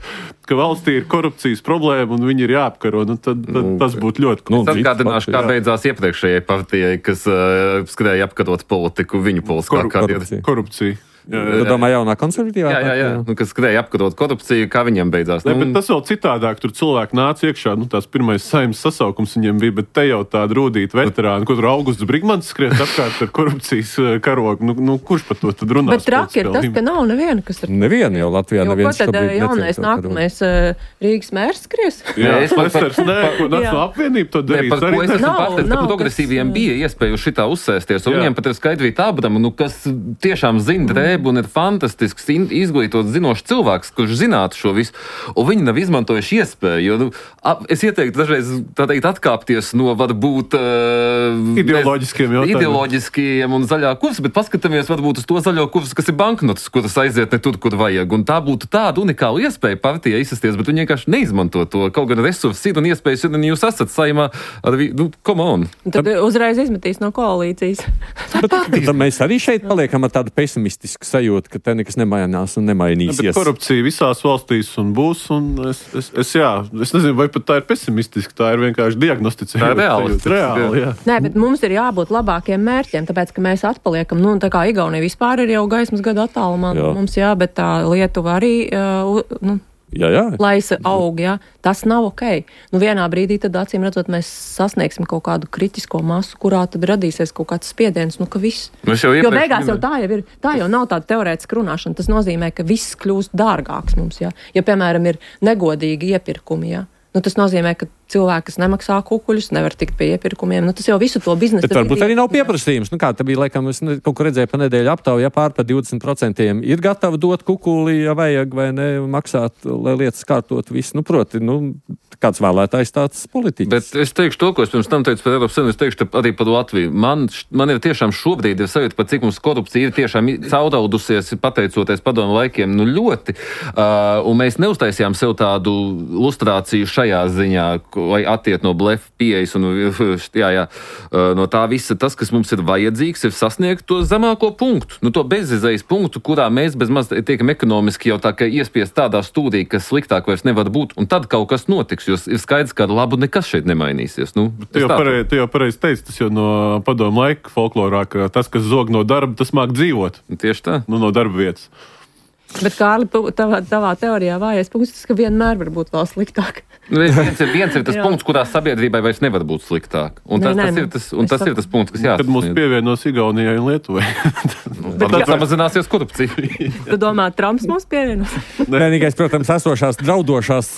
ka valstī ir korupcijas problēma un viņi ir jāapkaro. Nu, tad, tad nu, tas būtu ļoti nu, atgādināšu, kā beidzās iepriekšējai partijai, kas uh, skrēja apkarot politiku, viņu politiskā Korup, karjeru. Korupcija. Jā, jā. Tu domā jaunā konservatīvā? Jā, jā, jā. Nu, kas skrēja apkarot korupciju, kā viņiem beidzās. Ne, nu, bet tas vēl citādāk. Tur cilvēki nāca iekšā, nu tās pirmais saimnes sasaukums viņiem bija, bet te jau tāda rūdīta veterāna, ko tur Augusts Brigmans skries apkārt ar korupcijas karogu. Nu, nu kurš par to tad runās? Bet traki ir tas, ka nav neviena, kas ir. Neviena jau Latvijā jo, neviens šobrīd neceļ. Jaunais nākamais uh, Rīgas mērs skries? Jā, es pastars, nē, ko Nacionālā apvienība to darīs. Par ko es esmu pārsteigts, ka progresīviem bija iespēja šitā uzsēsties, un viņiem pat ir Skaidrīt Abramu, nu, kas tiešām zina drēbu un ir fantastisks, izglītots, zinošs cilvēks, kurš zinātu šo visu, un viņi nav izmantojuši iespēju, jo, nu, ap, es ieteiktu dažreiz, tā teikt, atkāpties no varbūt uh, ideoloģiskiem jautājumiem. Ideoloģiskiem un zaļā kursa, bet paskatāmies varbūt uz to zaļo kursu, kas ir banknotes, kuras aiziet ne tur, kur vajag, un tā būtu tāda unikāla iespēja partijai izsasties, bet viņi vienkārši neizmanto to, kaut gan resursi ir un iespējas ir, un jūs esat saimā ar, nu, come on. Tad uzreiz izmetīs no koalīcijas. Bet, tad mēs arī šeit paliekam ar tādu pesimistisku sajūtu, ka te nekas nemainās un nemainīsies. Bet korupcija visās valstīs un būs, un es, es, es, jā, es nezinu, vai pat tā ir pesimistiski, tā ir vienkārši diagnosticējuma. Tā ir reāli. reāli jā. Nē, bet mums ir jābūt labākiem mērķiem, tāpēc, ka mēs atpaliekam, nu, tā kā Igaunija vispār ir jau gaismas gadu attālumā, jā. Mums jā, bet tā Lietuva arī, uh, nu, Jā, jā. Laisa aug, jā. Tas nav ok. Nu, vienā brīdī tad, acīm redzot, mēs sasniegsim kaut kādu kritisko masu, kurā tad radīsies kaut kāds spiediens, nu, ka viss. Jo beigās jau tā jau ir, tā jau nav tāda teorētiska runāšana. Tas nozīmē, ka viss kļūst dārgāks mums, jā. Ja, piemēram, ir negodīgi iepirkumi, jā. Nu, tas nozīmē, ka cilvēki, kas nemaksā kukuļus, nevar tikt pie iepirkumiem. Nu, tas jau visu to biznesu. Bet varbūt arī nav pieprasījums. Nu, kā tā bija, laikam, es ne, kaut kur redzēju pa nedēļu aptauju, ja pār par divdesmit procentiem ir gatavi dot kukuli, ja vajag, vai ne, maksāt, lai lietas kārtot visu. Nu, proti, nu, kāds vēlētājs tāds politiķis. Bet es teikšu to, ko es pirms tam teicu par Eiropas Savienību, es teikšu arī par Latviju. Man, man ir tiešām šobrīd ir sajūta, par cik mums korupcija ir tiešām cauraudusies, pateicoties padomu laikiem, nu ļoti. Uh, un mēs neuztaisījām sev tādu lustrāciju šajā ziņā, lai attiet no blefa pieejas un jā, jā, no tā visa tas, kas mums ir vajadzīgs, ir sasniegt to zemāko punktu, nu to bezizējas punktu, kurā mēs bez maz tiekam ekonomiski jau tā kā iespiest tādā stūrī, kas sliktāk vairs nevar būt, un tad kaut kas notiks, jo ir skaidrs, ka ar labu nekas šeit nemainīsies. Nu, tu jau pareizi pareiz teici, tas jau no padomu laika folklorā, ka tas, kas zog no darba, tas māk dzīvot. Tieši tā. Nu, no darba vietas. Bet, Kārli, tavā, tavā teorijā vājais punkts, tas, ka vienmēr var būt vēl sliktāk. Viens ir, viens ir tas punkts, kurā sabiedrībai vairs nevar būt sliktāk. Un tas, nē, nē, tas, ir, tas, un tas ir tas punkts, kas jāsasniedz. Kad mūs pievienosi Igaunijai un Lietuvai. Nu, tad samazināsies korupcija. Tu domā, Trumps mūs pievienos? Vienīgais, protams, esošās draudošās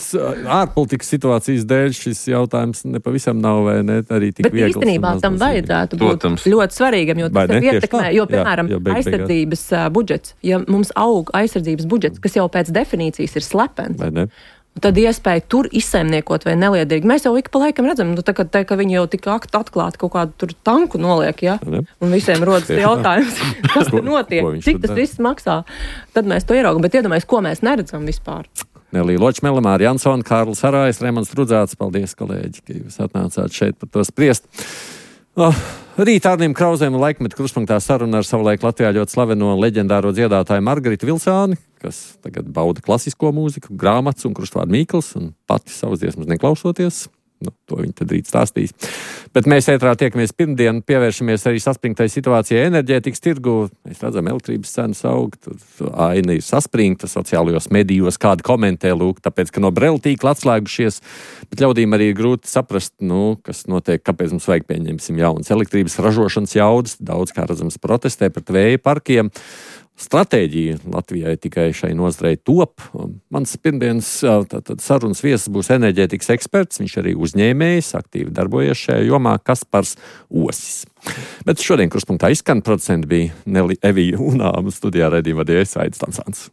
ārpolitikas situācijas dēļ šis jautājums nepavisam nav vai ne arī tik viegls. Bet īstenībā tam vajadzētu būt protams. Ļoti svarīgam, jo tas ir ietekmē, jo, piemēram, jā, jā, aizsardzības uh, budžets, ja mums aug aizsardzības budžets, kas jau pēc definīcijas ir slepens. Tad iespēja tur izsaimniekot vai neliederīgi. Mēs jau ik pa laikam redzam, nu, tā, ka, tā, ka viņi jau tik atklāti kaut kādu tur tanku noliek, ja? Un visiem rodas jautājums, kas tur notiek, cik tas viss maksā. Tad mēs to ieraugam, bet iedomājies, ko mēs neredzam vispār. Nelija Ločmele, Māra Jansona, Kārlis Arājs, Remans Trudzāts. Paldies, kolēģi, ka jūs atnācāt šeit par to spriest. Oh, rīt Arnim Krauzēm laikmetu kruspunktā saruna ar savulaik Latvijā ļoti slaveno leģendāro dziedātāju Margaritu Vilsāni, kas tagad bauda klasisko mūziku, grāmatas un krustvārdu Mīkls, un pati savas dziesmas neklausoties. Nu, to viņi tad rīt stāstīs. Bet mēs ētrā tiekamies pirmdien, pievēršamies arī saspringtai situācijai enerģētikas tirgu. Mēs redzam, elektrības cenas aug, aina ir saspringta sociālajos medijos, kādi komentē, lūk, tāpēc, ka no Brela tīkla atslēgušies, bet ļaudīm arī ir grūti saprast, nu, kas notiek, kāpēc mums vajag pieņemsim jaunas elektrības ražošanas jaudas, daudz kā redzams protestē pret vēja parkiem. Stratēģija Latvijai tikai šai nozarei top. Mans pirmdienas tātad, sarunas viesis būs enerģētikas eksperts, viņš arī uzņēmējs, aktīvi darbojies šajā jomā, Kaspars Osis. Bet šodien kruspunktā izskan producenti bija Neli Evija Unāma, studijā raidījuma vadīja Aidis Tamsāns.